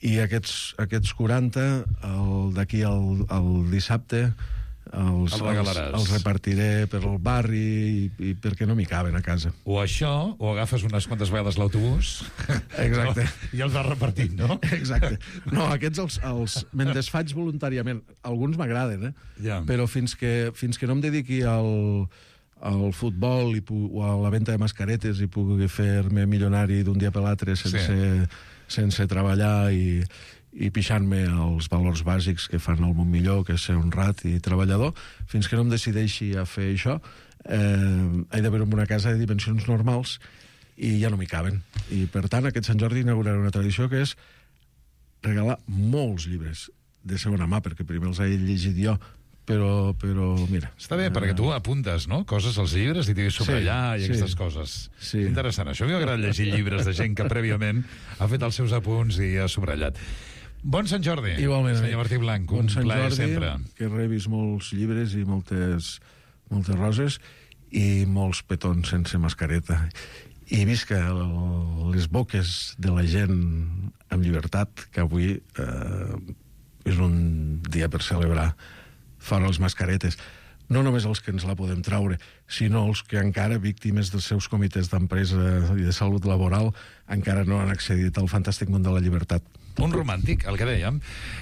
I aquests, aquests quaranta, d'aquí al, al dissabte, els, els, els repartiré per el barri i, i perquè no m'hi caben a casa. O això, o agafes unes quantes vegades l'autobús. Exacte. I els vas repartint, no? Exacte. No, aquests els, els me'n desfaig voluntàriament. Alguns m'agraden, eh? Ja. Però fins que, fins que no em dediqui al, al futbol i, o a la venda de mascaretes i pugui fer-me milionari d'un dia per l'altre sense, sí. sense treballar i... i pixant-me els valors bàsics que fan el món millor, que és ser honrat i treballador, fins que no em decideixi a fer això, eh, he de veure una casa de dimensions normals i ja no m'hi caben. I, per tant, aquest Sant Jordi inauguraré una tradició que és regalar molts llibres de segona mà, perquè primer els he llegit jo, però, però mira... Està bé, uh... perquè tu apuntes, no?, coses als llibres i t'hi subratllar sí, i aquestes sí. coses. Sí. Interessant. Això m'agrada llegir llibres de gent que prèviament ha fet els seus apunts i ha subratllat. Bon Sant Jordi, igualment, senyor Martí Blanc. Bon un Sant plaer Jordi, sempre. Que rebis molts llibres i moltes, moltes roses i molts petons sense mascareta. I visca les boques de la gent amb llibertat, que avui eh, és un dia per celebrar fora les mascaretes. No només els que ens la podem traure, sinó els que encara, víctimes dels seus comitès d'empresa i de salut laboral, encara no han accedit al fantàstic món de la llibertat. Un romàntic, el que dèiem.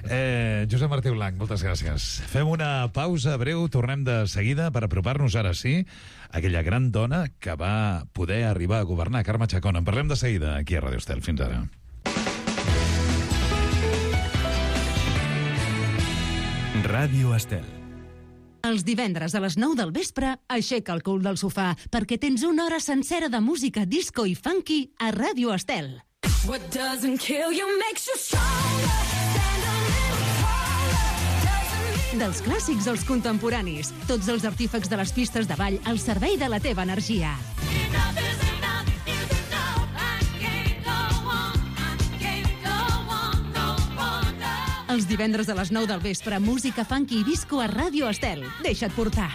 Eh, Josep Martí Blanc, moltes gràcies. Fem una pausa breu, tornem de seguida per apropar-nos ara sí a aquella gran dona que va poder arribar a governar, Carme Chacón. En parlem de seguida aquí a Radio Estel. Fins ara. Ràdio Estel. Els divendres a les nou del vespre, aixeca el cul del sofà, perquè tens una hora sencera de música disco i funky a Ràdio Estel. What doesn't kill you makes you stronger. Stand a little taller. Dels clàssics als contemporanis, tots els artífecs de les pistes de ball al servei de la teva energia. Els divendres a les nou del vespre, música funky i disco a Ràdio Estel. Deixa't portar.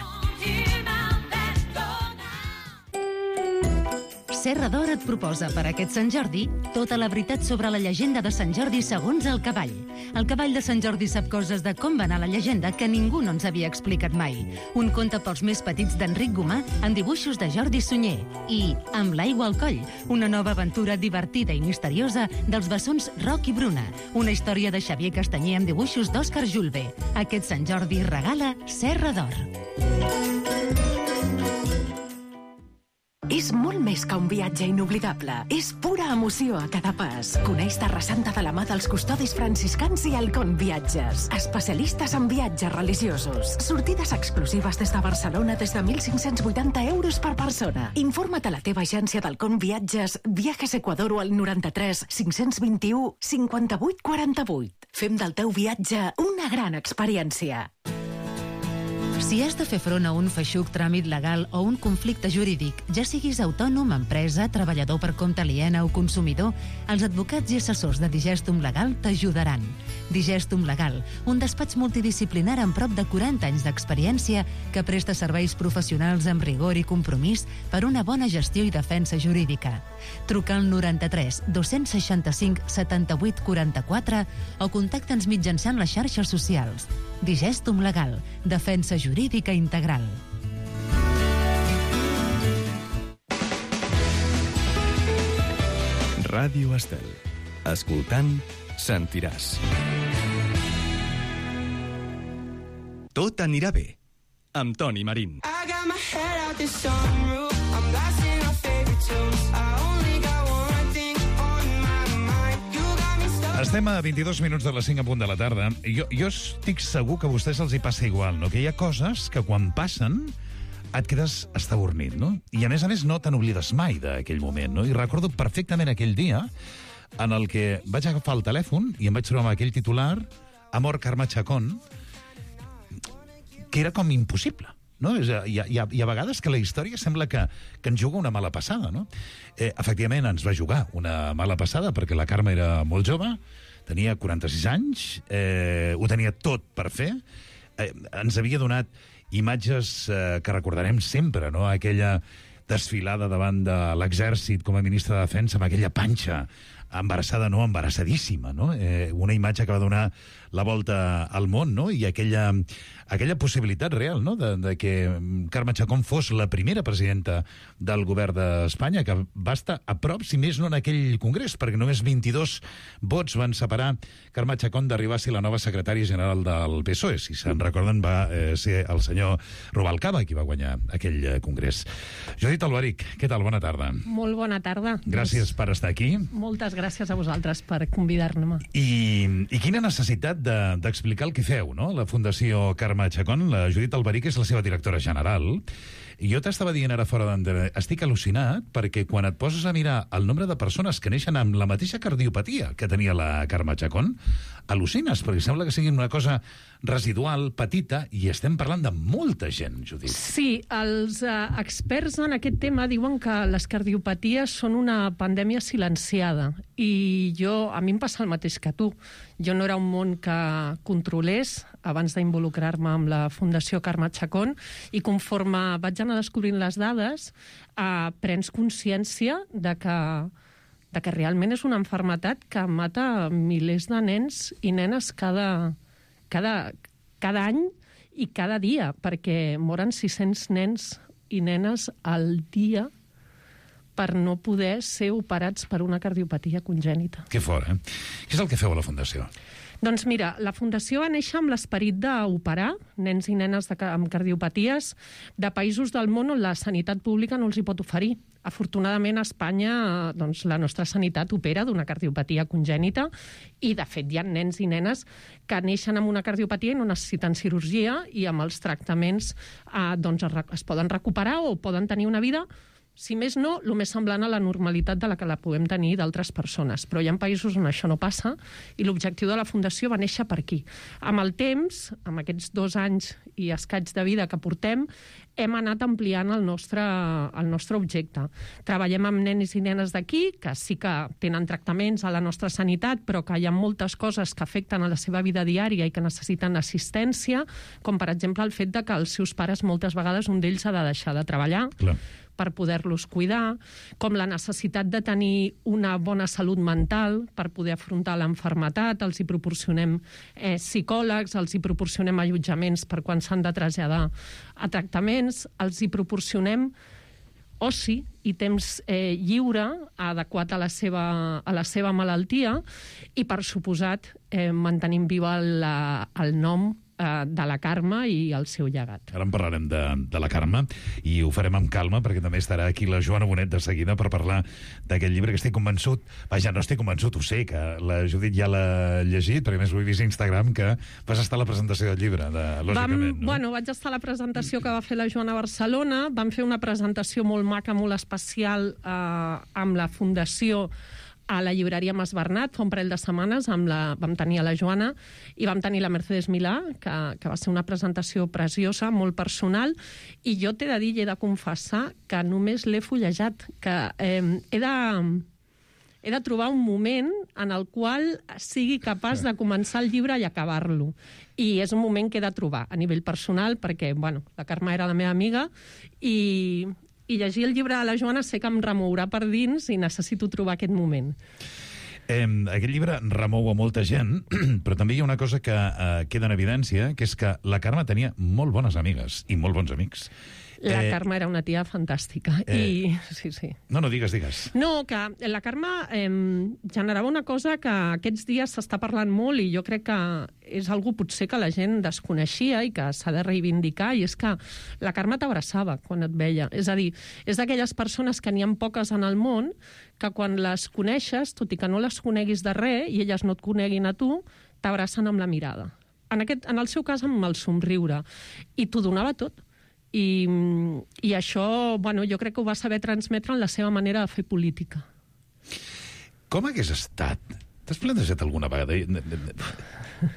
Serra d'Or et proposa per aquest Sant Jordi tota la veritat sobre la llegenda de Sant Jordi segons el cavall. El cavall de Sant Jordi sap coses de com va anar la llegenda que ningú no ens havia explicat mai. Un conte pels més petits d'Enric Gomà en dibuixos de Jordi Sunyer. I Amb l'aigua al coll, una nova aventura divertida i misteriosa dels bessons Roc i Bruna. Una història de Xavier Castanyer amb dibuixos d'Òscar Julve. Aquest Sant Jordi regala Serra d'Or. És molt més que un viatge inoblidable. És pura emoció a cada pas. Coneix Terra Santa de la mà dels custodis franciscans i Halcón Viatges. Especialistes en viatges religiosos. Sortides exclusives des de Barcelona des de mil cinc-cents vuitanta euros per persona. Informa't a la teva agència d'Halcón Viatges, Viajes Ecuador o al noranta-tres cinc-cents vint-i-u cinquanta-vuit quaranta-vuit. Fem del teu viatge una gran experiència. Si has de fer front a un feixuc tràmit legal o un conflicte jurídic, ja siguis autònom, empresa, treballador per compte aliena o consumidor, els advocats i assessors de Digestum Legal t'ajudaran. Digestum Legal, un despatx multidisciplinar amb prop de quaranta anys d'experiència que presta serveis professionals amb rigor i compromís per una bona gestió i defensa jurídica. Truca al noranta-tres dos-cents seixanta-cinc setanta-vuit quaranta-quatre o contacta'ns mitjançant les xarxes socials. Digestum Legal, defensa jurídica integral. Ràdio Estel. Escoltant, sentiràs. Tot anirà bé, amb Toni Marín. I got my head out the sunroof. I'm blasting our favorite tunes. I only got one thing on my mind. You got me stuck. Estem a vint-i-dos minuts de les cinc a punt de la tarda. Jo, jo estic segur que a vostès els hi passa igual, no? Que hi ha coses que quan passen et quedes estabornit, no? I a més a més no te n'oblides mai d'aquell moment, no? I recordo perfectament aquell dia en el que vaig agafar el telèfon i em vaig trobar amb aquell titular Amor Carme Chacón, que era com impossible, no? Hi ha, hi ha, hi ha vegades que la història sembla que, que ens juga una mala passada, no? Eh, efectivament, ens va jugar una mala passada perquè la Carme era molt jove, tenia quaranta-sis anys, eh, ho tenia tot per fer, eh, ens havia donat imatges eh, que recordarem sempre, no? Aquella desfilada davant de l'exèrcit com a ministre de Defensa amb aquella panxa embarassada, no, embarassadíssima, no? Eh, una imatge que va donar la volta al món, no? I aquella, aquella possibilitat real, no?, de, de que Carme Chacón fos la primera presidenta del govern d'Espanya, que va estar a prop, si més no en aquell congrés, perquè només vint-i-dos vots van separar Carme Chacón d'arribar a ser la nova secretària general del P S O E. Si se'n recorden, va eh, ser el senyor Rubalcaba qui va guanyar aquell eh, congrés. Judit Alberic, què tal? Bona tarda. Molt bona tarda. Gràcies per estar aquí. Moltes gràcies a vosaltres per convidar-me. I, i quina necessitat d'explicar de, el que feu, no? La Fundació Carme Chacón, la Judit Alberic és la seva directora general. I jo t'estava dient ara fora d'antena, estic al·lucinat perquè quan et poses a mirar el nombre de persones que neixen amb la mateixa cardiopatia que tenia la Carme Chacón, al·lucines, perquè sembla que sigui una cosa residual, petita, i estem parlant de molta gent, Judit. Sí, els eh, experts en aquest tema diuen que les cardiopaties són una pandèmia silenciada i jo, a mi em passa el mateix que tu. Jo no era un món que controlés abans d'involucrar-me amb la Fundació Carme Chacón i conforme vaig anar descobrint les dades eh, prens consciència de que, de que realment és una malaltia que mata milers de nens i nenes cada, cada, cada any i cada dia, perquè moren sis-cents nens i nenes al dia per no poder ser operats per una cardiopatia congènita. Que fort, eh? Què és el que feu a la Fundació? Doncs mira, la Fundació va néixer amb l'esperit d'operar nens i nenes de, amb cardiopaties de països del món on la sanitat pública no els hi pot oferir. Afortunadament, a Espanya, doncs, la nostra sanitat opera d'una cardiopatia congènita i, de fet, hi ha nens i nenes que neixen amb una cardiopatia i no necessiten cirurgia i amb els tractaments eh, doncs, es, es poden recuperar o poden tenir una vida, si més no, el més semblant a la normalitat de la que la podem tenir d'altres persones. Però hi ha països on això no passa i l'objectiu de la Fundació va néixer per aquí. Amb el temps, amb aquests dos anys i escaig de vida que portem, hem anat ampliant el nostre, el nostre objecte. Treballem amb nens i nenes d'aquí, que sí que tenen tractaments a la nostra sanitat, però que hi ha moltes coses que afecten a la seva vida diària i que necessiten assistència, com per exemple el fet de que els seus pares moltes vegades un d'ells ha de deixar de treballar. Clar. Per poder-los cuidar, com la necessitat de tenir una bona salut mental per poder afrontar l'enfermetat, els hi proporcionem eh, psicòlegs, els hi proporcionem allotjaments per quan s'han de traslladar a tractaments, els hi proporcionem oci i temps eh, lliure adequat a la seva, a la seva malaltia i, per suposat, eh, mantenim viva la, el nom de la Carme i el seu llegat. Ara en parlarem de, de la Carme i ho farem amb calma perquè també estarà aquí la Joana Bonet de seguida per parlar d'aquest llibre que estic convençut, vaja, no estic convençut, ho sé, que la Judit ja l'ha llegit, perquè més ho he vist a Instagram, que vas estar a la presentació del llibre, de, lògicament. Vam, no? Bueno, vaig estar a la presentació que va fer la Joana a Barcelona, vam fer una presentació molt maca, molt especial eh, amb la Fundació a la llibreria Mas Bernat fa un parell de setmanes, amb la, vam tenir a la Joana i vam tenir la Mercedes Milà, que, que va ser una presentació preciosa, molt personal, i jo t'he de dir i he de confessar que només l'he fullejat, que eh, he de... he de trobar un moment en el qual sigui capaç de començar el llibre i acabar-lo. I és un moment que he de trobar a nivell personal, perquè, bueno, la Carme era la meva amiga i... i llegir el llibre de la Joana sé que em remourà per dins i necessito trobar aquest moment. Eh, aquest llibre remou a molta gent, però també hi ha una cosa que eh, queda en evidència, que és que la Carme tenia molt bones amigues i molt bons amics. La eh, Carme era una tia fantàstica. Eh, I... Sí, sí. No, no, digues, digues. No, que la Carme eh, generava una cosa que aquests dies s'està parlant molt i jo crec que és algú potser que la gent desconeixia i que s'ha de reivindicar, i és que la Carme t'abraçava quan et veia. És a dir, és d'aquelles persones que n'hi ha poques en el món que quan les coneixes, tot i que no les coneguis de res i elles no et coneguin a tu, t'abracen amb la mirada. En, aquest, en el seu cas, amb el somriure. I t'ho donava tot. I, i això, bueno, jo crec que ho va saber transmetre en la seva manera de fer política. Com hagués estat? T'has plantejat alguna vegada?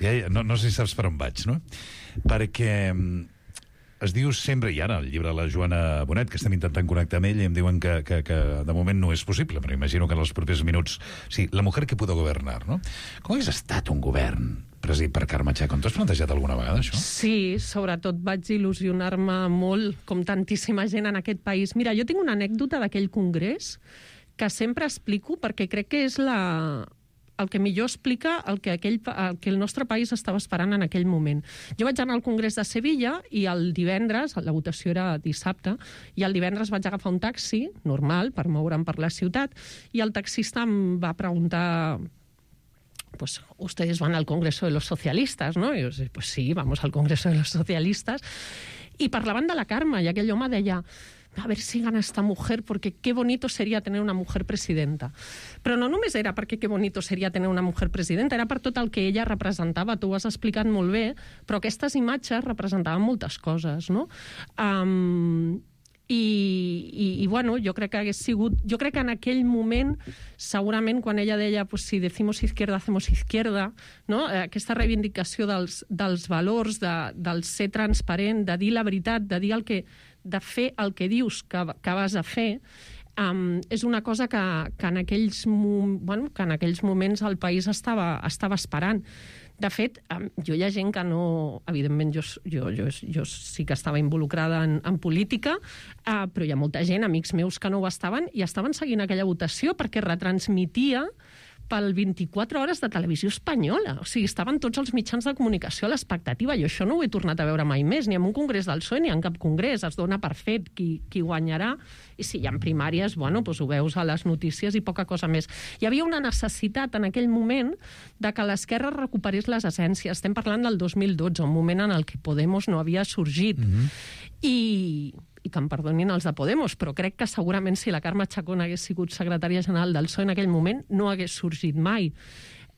Ja, ja, no, no sé si saps per on vaig, no? Perquè es diu sempre, i ara el llibre de la Joana Bonet, que estem intentant connectar amb ell, i em diuen que, que, que de moment no és possible, però imagino que en els propers minuts... Sí, la mujer que pudo governar, no? Com hagués estat un govern presidit per Carme Chacón? T'ho has plantejat alguna vegada, això? Sí, sobretot vaig il·lusionar-me molt, com tantíssima gent en aquest país. Mira, jo tinc una anècdota d'aquell congrés que sempre explico perquè crec que és la... el que millor explica el que, aquell, el que el nostre país estava esperant en aquell moment. Jo vaig anar al Congrés de Sevilla i el divendres, la votació era dissabte, i el divendres vaig agafar un taxi, normal, per moure'm per la ciutat, i el taxista em va preguntar... pues ustedes van al Congreso de los Socialistas, ¿no? Y yo, pues sí, vamos al Congreso de los Socialistas. Y parlaven de la Carme, y aquell home deia, a ver si gana esta mujer, porque qué bonito sería tener una mujer presidenta. Però no només era perquè qué bonito seria tener una mujer presidenta, era per tot el que ella representava. Tu ho has explicat molt bé, però aquestes imatges representaven moltes coses, no? Um, I, i, i bueno, jo crec que hagués sigut... Jo crec que en aquell moment, segurament, quan ella deia pues, si decimos izquierda, hacemos izquierda, no? Aquesta reivindicació dels, dels valors, de, del ser transparent, de dir la veritat, de dir el que, de fer el que dius que, que vas a fer, Um, és una cosa que, que, en aquells, bueno, que en aquells moments el país estava, estava esperant. De fet, um, jo hi ha gent que no... Evidentment, jo, jo, jo, jo sí que estava involucrada en, en política, uh, però hi ha molta gent, amics meus, que no ho estaven, i estaven seguint aquella votació perquè retransmitia pel vint-i-quatre hores de televisió espanyola. O sigui, estaven tots els mitjans de comunicació a l'expectativa. Jo això no ho he tornat a veure mai més, ni en un congrés del P S O E ni en cap congrés. Es dona per fet qui, qui guanyarà. I si hi ha primàries, bueno, doncs ho veus a les notícies i poca cosa més. Hi havia una necessitat en aquell moment de que l'esquerra recuperés les essències. Estem parlant del dos mil dotze, un moment en el que Podemos no havia sorgit. Mm-hmm. I... i que em perdonin els de Podemos, però crec que segurament si la Carme Chacón hagués sigut secretària general del P S O E en aquell moment no hagués sorgit mai.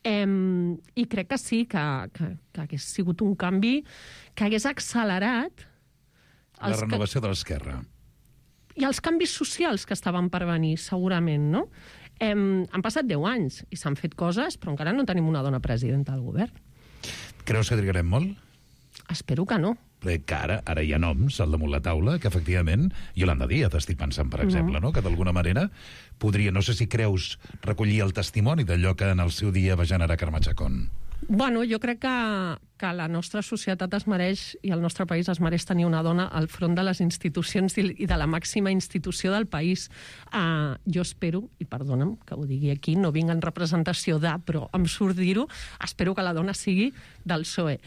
Em, I crec que sí, que, que, que hagués sigut un canvi que hagués accelerat... La renovació que... de l'esquerra. I els canvis socials que estaven per venir, segurament, no? Em, han passat deu anys i s'han fet coses, però encara no tenim una dona presidenta del govern. Creus que trigarem molt? Espero que no. Que ara, ara hi ha noms al damunt la taula que, efectivament, Yolanda Díaz, estic pensant, per exemple, mm. no? Que d'alguna manera podria, no sé si creus, recollir el testimoni d'allò que en el seu dia va generar Carme Chacón. Bueno, jo crec que, que la nostra societat es mereix, i el nostre país es mereix tenir una dona al front de les institucions i de la màxima institució del país. Uh, jo espero, i perdona'm que ho digui aquí, no vinc en representació de, però em surt dir-ho, espero que la dona sigui del P S O E.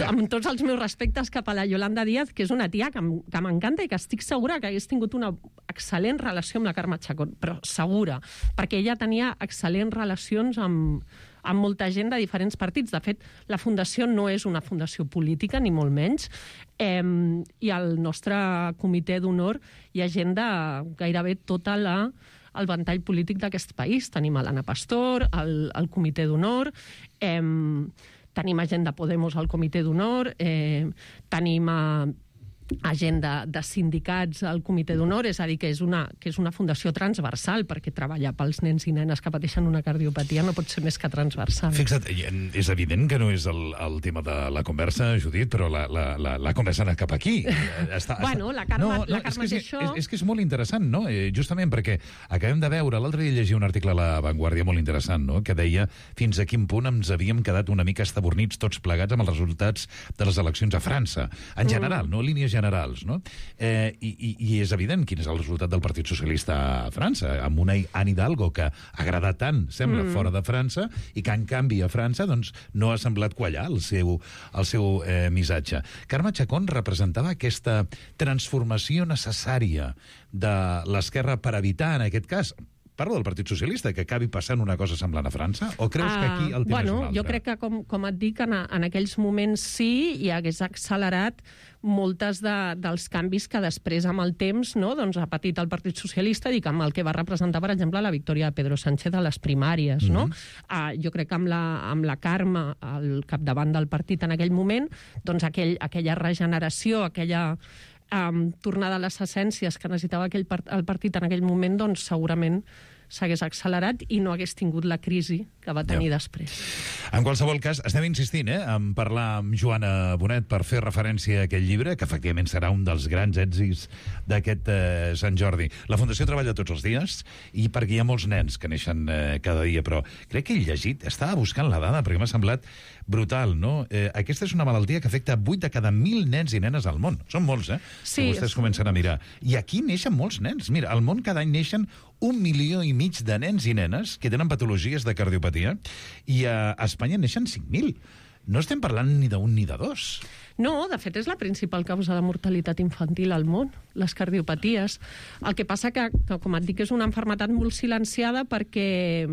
Amb tots els meus respectes cap a la Yolanda Díaz, que és una tia que m'encanta i que estic segura que hagués tingut una excel·lent relació amb la Carme Chacón, però segura, perquè ella tenia excel·lents relacions amb amb molta gent de diferents partits. De fet, la fundació no és una fundació política, ni molt menys, eh, i al nostre comitè d'honor hi ha gent de gairebé tota la el ventall polític d'aquest país. Tenim a l'Anna Pastor, al, al comitè d'honor, eh, tenim a gent de Podemos al comitè d'honor, eh, tenim a a gent de, de sindicats al comitè d'honor, és a dir, que és, una, que és una fundació transversal, perquè treballar pels nens i nenes que pateixen una cardiopatia no pot ser més que transversal. Fixa't, és evident que no és el, el tema de la conversa, Judit, però la, la, la, la conversa ha anat cap aquí. Està, bueno, la Carme, no, no, la Carme és, que, és això... És, és que és molt interessant, no? Eh, justament perquè acabem de veure, l'altre dia llegia un article a La Vanguardia molt interessant, no? Que deia fins a quin punt ens havíem quedat una mica estabornits tots plegats amb els resultats de les eleccions a França. En general, mm. no? Línies generals, no? Eh, i, i, I és evident quin és el resultat del Partit Socialista a França, amb una Anne Hidalgo que ha agradat tant, sembla, mm. fora de França, i que, en canvi, a França doncs, no ha semblat quallar el seu, el seu eh, missatge. Carme Chacón representava aquesta transformació necessària de l'esquerra per evitar, en aquest cas, parlo del Partit Socialista, que acabi passant una cosa semblant a França? O creus uh, que aquí el tema bueno, és un altre? Jo crec que, com, com et dic, en, en aquells moments sí, i hagués accelerat moltes de, dels canvis que després, amb el temps, no, doncs, ha patit el Partit Socialista, dic, amb el que va representar, per exemple, la victòria de Pedro Sánchez a les primàries. Mm-hmm. no? uh, jo crec que amb la, amb la Carme al capdavant del partit en aquell moment, doncs aquell, aquella regeneració, aquella um, tornada a les essències que necessitava aquell part, el partit en aquell moment, doncs segurament s'hagués accelerat i no hagués tingut la crisi que va tenir ja. després. En qualsevol cas, estem insistint eh, en parlar amb Joana Bonet per fer referència a aquest llibre, que efectivament serà un dels grans èxits d'aquest eh, Sant Jordi. La Fundació treballa tots els dies i perquè hi ha molts nens que neixen eh, cada dia, però crec que he llegit, estava buscant la dada perquè m'ha semblat brutal, no? Eh, aquesta és una malaltia que afecta vuit de cada mil nens i nenes al món. Són molts, eh? Sí. Que vostès comencen a mirar. I aquí neixen molts nens. Mira, al món cada any neixen un milió i mig de nens i nenes que tenen patologies de cardiopatia i a Espanya neixen cinc mil. No estem parlant ni d'un ni de dos. No, de fet és la principal causa de mortalitat infantil al món, les cardiopaties. El que passa que, que com et dic, és una malaltia molt silenciada perquè...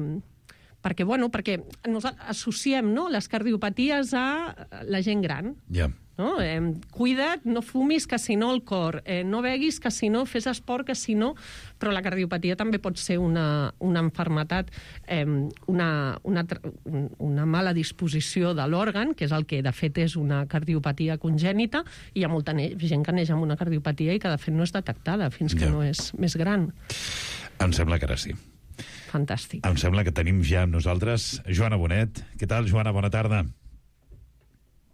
perquè, bueno, perquè nos associem, no, les cardiopaties a la gent gran. Ja. Yeah. no? Eh, cuida't, no fumis, que si no el cor, eh, no beguis, que si no fes esport, que si no... Però la cardiopatia també pot ser una, una malaltia, eh, una, una, una mala disposició de l'òrgan, que és el que de fet és una cardiopatia congènita, i hi ha molta gent que neix amb una cardiopatia i que de fet no és detectada fins que Ja. no és més gran. Em sembla que ara sí. Fantàstic. Em sembla que tenim ja amb nosaltres Joana Bonet. Què tal, Joana? Bona tarda.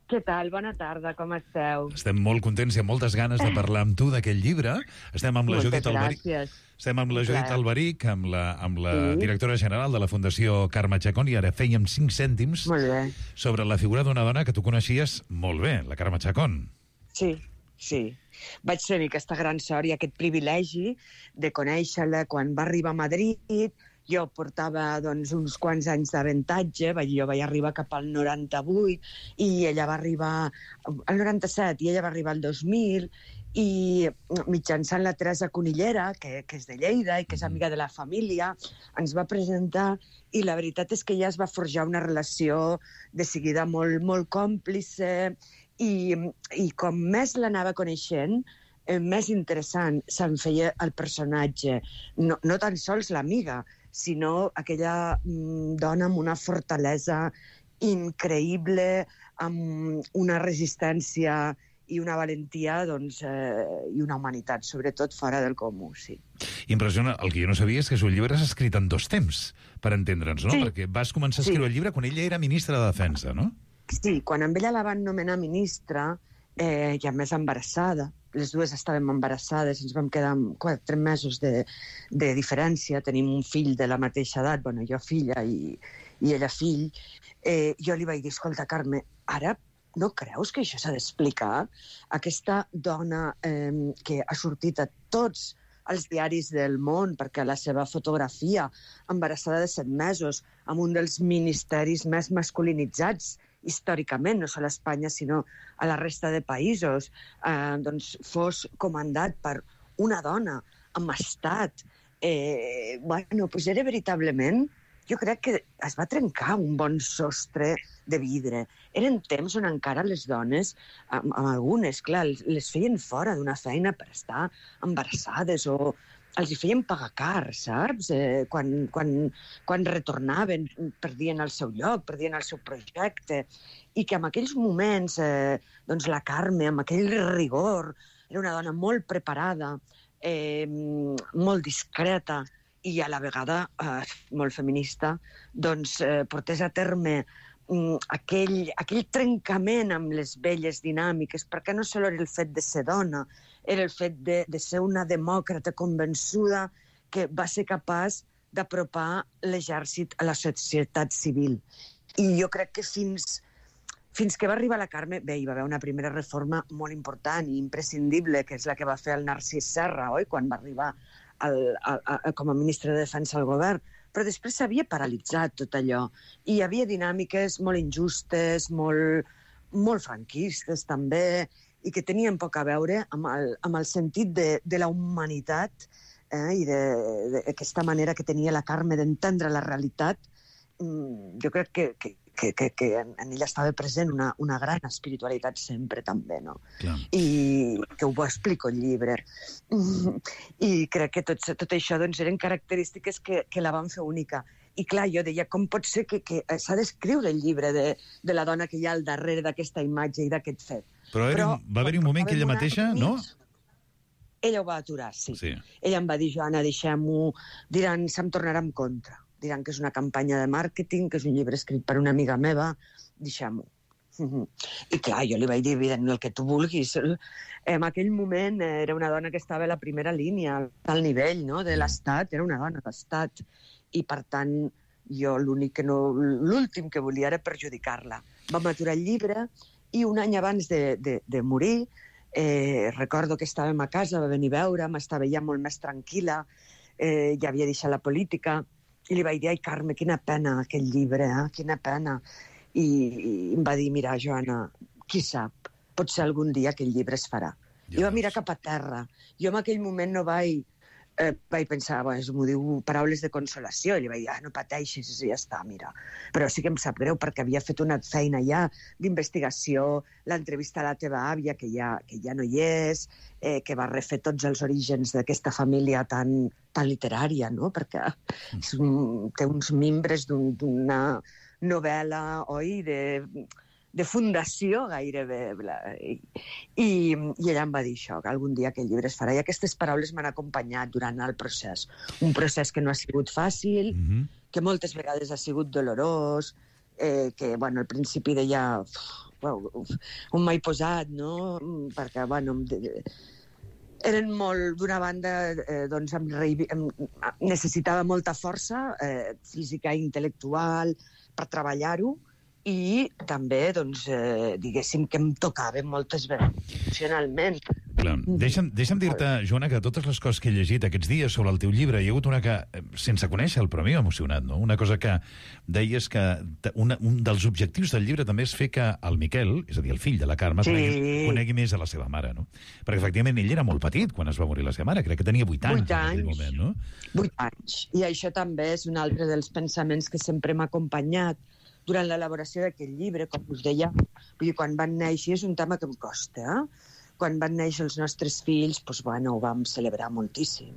Què tal? Bona tarda, com esteu? Estem molt contents i amb moltes ganes de parlar amb tu d'aquest llibre. Estem amb la Moltes Judit Alberic. gràcies. Estem amb la Un Judit plaer. Alberic, amb la, amb la Sí. directora general de la Fundació Carme Chacón, i ara fèiem cinc cèntims Molt bé. sobre la figura d'una dona que tu coneixies molt bé, la Carme Chacón. Sí, sí. Vaig tenir aquesta gran sort i aquest privilegi de conèixer-la quan va arribar a Madrid. Jo portava doncs, uns quants anys d'avantatge, jo vaig arribar cap al noranta-vuit i ella va arribar al noranta-set i ella va arribar al dos mil, i mitjançant la Teresa Conillera, que, que és de Lleida i que és amiga de la família, ens va presentar, i la veritat és que ja es va forjar una relació de seguida molt, molt còmplice, i, i com més l'anava coneixent, eh, més interessant se'n feia el personatge. No, no tan sols l'amiga, sinó aquella mm, dona amb una fortalesa increïble, amb una resistència i una valentia, doncs, eh, i una humanitat, sobretot fora del comú, sí. Impressiona. El que jo no sabia és que el llibre s'ha escrit en dos temps, per entendre'ns, no? Sí. Perquè vas començar a escriure Sí. el llibre quan ella era ministra de Defensa, no? Sí, quan amb ella la van nomenar ministra, eh, i a més embarassada, les dues estàvem embarassades, ens vam quedar amb quatre mesos de, de diferència, tenim un fill de la mateixa edat, bueno, jo filla i, i ella fill, eh, jo li vaig dir, escolta, Carme, ara no creus que això s'ha d'explicar? Aquesta dona eh, que ha sortit a tots els diaris del món, perquè la seva fotografia, embarassada de set mesos, amb un dels ministeris més masculinitzats històricament, no sols a Espanya, sinó a la resta de països, eh, doncs fos comandat per una dona amb estat. Eh, bueno, doncs era veritablement... Jo crec que es va trencar un bon sostre de vidre. Eren temps on encara les dones, amb, amb algunes, clar, les feien fora d'una feina per estar embarassades o els hi feien pagar car, saps? Eh, quan, quan, quan retornaven, perdien el seu lloc, perdien el seu projecte. I que en aquells moments, eh, doncs la Carme, amb aquell rigor, era una dona molt preparada, eh, molt discreta, i a la vegada eh, molt feminista, doncs eh, portés a terme mm, aquell, aquell trencament amb les velles dinàmiques, perquè no sols era el fet de ser dona, era el fet de, de ser una demòcrata convençuda que va ser capaç d'apropar l'exèrcit a la societat civil. I jo crec que fins, fins que va arribar la Carme, bé, hi va haver una primera reforma molt important i imprescindible, que és la que va fer el Narcís Serra, oi?, quan va arribar El, el, el, com a ministre de Defensa al govern, però després s'havia paralitzat tot allò. I hi havia dinàmiques molt injustes, molt, molt franquistes també, i que tenien poc a veure amb el, amb el sentit de, de la humanitat eh, i d'aquesta manera que tenia la Carme d'entendre la realitat. Jo crec que, que, que, que, que en ella estava present una, una gran espiritualitat sempre també, no? Clar. I que ho explico al llibre. I crec que tot, tot això doncs, eren característiques que, que la van fer única. I clar, jo deia, com pot ser que, que s'ha d'escriure el llibre de, de la dona que hi ha al darrere d'aquesta imatge i d'aquest fet? Però, Però va haver-hi un moment que ella mateixa, no? Ella ho va aturar, sí. Sí. Ella em va dir, Joana, deixem-ho, diran, se'm tornarà en contra. Diran que és una campanya de màrqueting, que és un llibre escrit per una amiga meva, deixem-ho. I clar, jo li vaig dir, evident, el que tu vulguis. En aquell moment era una dona que estava a la primera línia, al nivell, no?, de l'Estat, era una dona d'Estat, i per tant jo l'únic que no... l'últim que volia era perjudicar-la. Vam aturar el llibre i un any abans de, de, de morir, eh, recordo que estàvem a casa, va venir a veure'm, estava ja molt més tranquil·la, eh, ja havia deixat la política, i li vaig dir, ai, Carme, quina pena aquest llibre, eh? Quina pena. I, i em va dir, mira, Joana, qui sap, potser algun dia aquell llibre es farà. Ja I va mirar cap a terra. Jo en aquell moment no vaig eh, vaig pensar, bueno, m'ho diu paraules de consolació, i li vaig dir, ah, no pateixis, i ja està, mira. Però sí que em sap greu, perquè havia fet una feina ja d'investigació, l'entrevista a la teva àvia, que ja, que ja no hi és, eh, que va refer tots els orígens d'aquesta família tan, tan literària, no? Perquè és un, té uns mimbres d'un, d'una novel·la, oi, de... de fundació gairebé. I, i, I ella em va dir això, que algun dia aquest llibre es farà. I aquestes paraules m'han acompanyat durant el procés. Un procés que no ha sigut fàcil, mm-hmm. que moltes vegades ha sigut dolorós, eh, que, bueno, al principi deia... Uf, on m'he posat, no? Perquè, bueno... Eren molt, d'una banda, eh, doncs em, em, necessitava molta força eh, física i intel·lectual per treballar-ho, i també, doncs, eh, diguéssim que em tocava moltes vegades emocionalment. Clar. Deixa'm, deixa'm dir-te, Joana, que totes les coses que he llegit aquests dies sobre el teu llibre, hi ha hagut una que, sense conèixer el, però a mi m'ha emocionat, no? Una cosa que deies que una, un dels objectius del llibre també és fer que el Miquel, és a dir, el fill de la Carme, sí. conegui, conegui més a la seva mare, no? Perquè, efectivament, ell era molt petit quan es va morir la seva mare, crec que tenia vuit anys. Vuit anys. En aquell moment, no? Vuit anys. I això també és un altre dels pensaments que sempre m'ha acompanyat durant l'elaboració d'aquest llibre, com us deia. Vull dir, quan van néixer, és un tema que em costa, eh? Quan van néixer els nostres fills, doncs, bueno, ho vam celebrar moltíssim.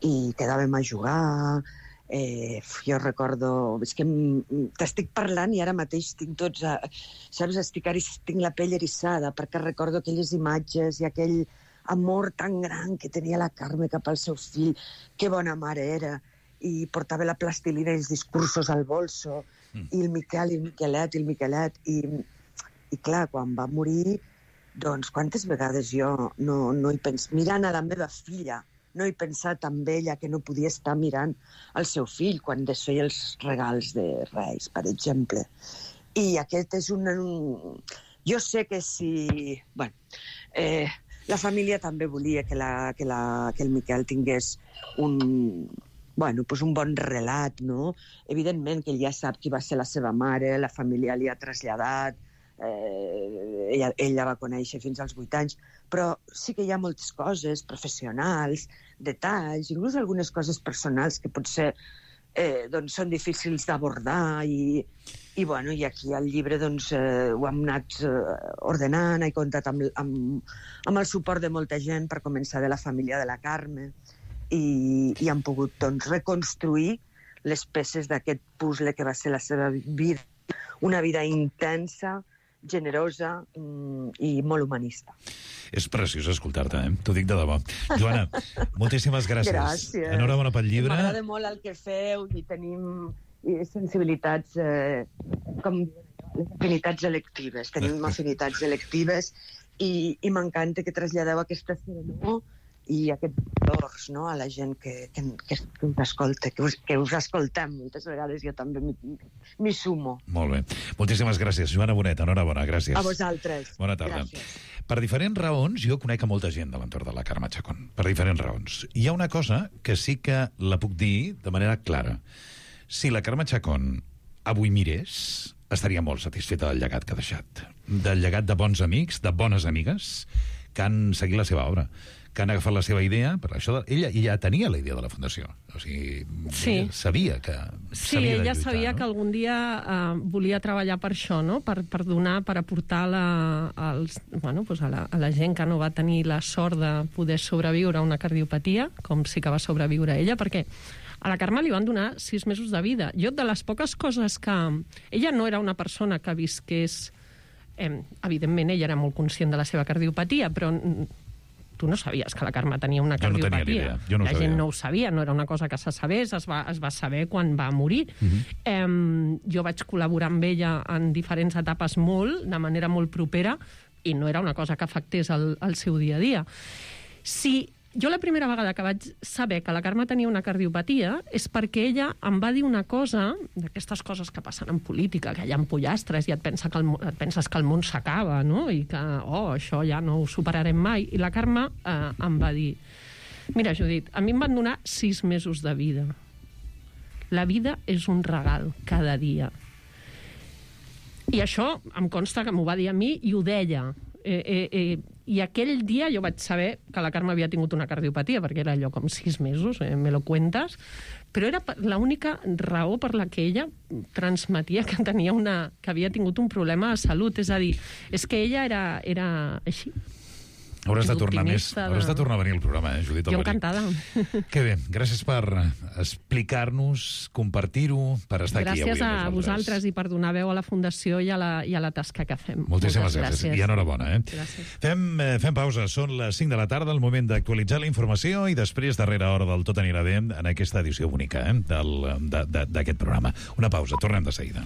I quedàvem a jugar, eh, jo recordo... És que t'estic parlant i ara mateix tinc tots... A, saps, estic, tinc la pell eriçada, perquè recordo aquelles imatges i aquell amor tan gran que tenia la Carme cap al seu fill. Que bona mare era. I portava la plastilina i els discursos al bolso, mm. i el Miquel, i el Miquelet, i el Miquelet, i, i clar, quan va morir, doncs quantes vegades jo no, no hi pens... mirant a la meva filla, no he pensat amb ella que no podia estar mirant el seu fill quan desfeia els regals de Reis, per exemple. I aquest és un... un... Jo sé que si... Bueno, eh, la família també volia que, la, que, la, que el Miquel tingués un... Bueno, pues un bon relat, no? Evidentment que ell ja sap qui va ser la seva mare, la família li ha traslladat, eh, ella, ella va conèixer fins als vuit anys, però sí que hi ha moltes coses professionals, detalls, inclús algunes coses personals que potser eh, doncs són difícils d'abordar i, i, bueno, i aquí al llibre doncs, eh, ho hem anat eh, ordenant, he comptat amb, amb, amb el suport de molta gent, per començar de la família de la Carme, i, i han pogut doncs, reconstruir les peces d'aquest puzzle que va ser la seva vida, una vida intensa, generosa mm, i molt humanista. És preciós escoltar-te, eh? T'ho dic de debò. Joana, moltíssimes gràcies. Gràcies. Enhorabona pel llibre. M'agrada molt el que feu i tenim sensibilitats, eh, com afinitats electives. Tenim afinitats electives i, i m'encanta que traslladeu aquesta serenor i aquests valors, no?, a la gent que, que, que, que us escolta, que us, que us escoltem. Moltes vegades jo també m'hi sumo. Molt bé. Moltíssimes gràcies, Joana Bonet. Enhorabona, gràcies. A vosaltres. Bona tarda. Gràcies. Per diferents raons, jo conec a molta gent de l'entorn de la Carme Chacón. Per diferents raons. Hi ha una cosa que sí que la puc dir de manera clara. Si la Carme Chacón avui mirés, estaria molt satisfeta del llegat que ha deixat. Del llegat de bons amics, de bones amigues, que han seguit la seva obra, que han agafat la seva idea, per això de, ella, ella tenia la idea de la fundació, o sigui, sí. sabia que sí, ella lluitar, sabia no? que algun dia uh, volia treballar per això, no? per, per donar, per aportar la, als, bueno, pues a, la, a la gent que no va tenir la sort de poder sobreviure a una cardiopatia, com sí que va sobreviure ella, perquè a la Carme li van donar sis mesos de vida. Jo, de les poques coses que... Ella no era una persona que visqués... Eh, evidentment, ella era molt conscient de la seva cardiopatia, però tu no sabies que la Carme tenia una cardiopatia. Jo no tenia idea. Jo no la sabia. gent no ho sabia, no era una cosa que se sabés, es va, es va saber quan va morir. Uh-huh. eh, jo vaig col·laborar amb ella en diferents etapes molt, de manera molt propera, i no era una cosa que afectés el, el seu dia a dia. Si jo la primera vegada que vaig saber que la Carme tenia una cardiopatia és perquè ella em va dir una cosa, d'aquestes coses que passen en política, que hi ha pollastres i et, pensa que el, et penses que el món s'acaba, no? I que, oh, això ja no ho superarem mai. I la Carme eh, em va dir, mira, Judit, a mi em van donar sis mesos de vida. La vida és un regal cada dia. I això em consta que m'ho va dir a mi i ho deia. Eh, eh, eh, I aquell dia jo vaig saber que la Carme havia tingut una cardiopatia, perquè era allò com sis mesos, eh, me lo cuentas, però era l'única raó per la que ella transmetia que tenia una, que havia tingut un problema de salut. És a dir, és que ella era, era així. Hauràs de tornar més, de... hauràs de tornar a venir al programa, eh, Judit Jo Alberic. encantada. Que bé, gràcies per explicar-nos, compartir-ho, per estar gràcies aquí avui amb a nosaltres. vosaltres i per donar veu a la Fundació i a la, i a la tasca que fem. Moltíssimes Moltes gràcies. gràcies. I enhorabona. Eh? Gràcies. Fem, eh, fem pausa. Són les cinc de la tarda, el moment d'actualitzar la informació i després, darrera hora del Tot anirà bé, en aquesta edició única eh, del- de- de- d'aquest programa. Una pausa, tornem de seguida.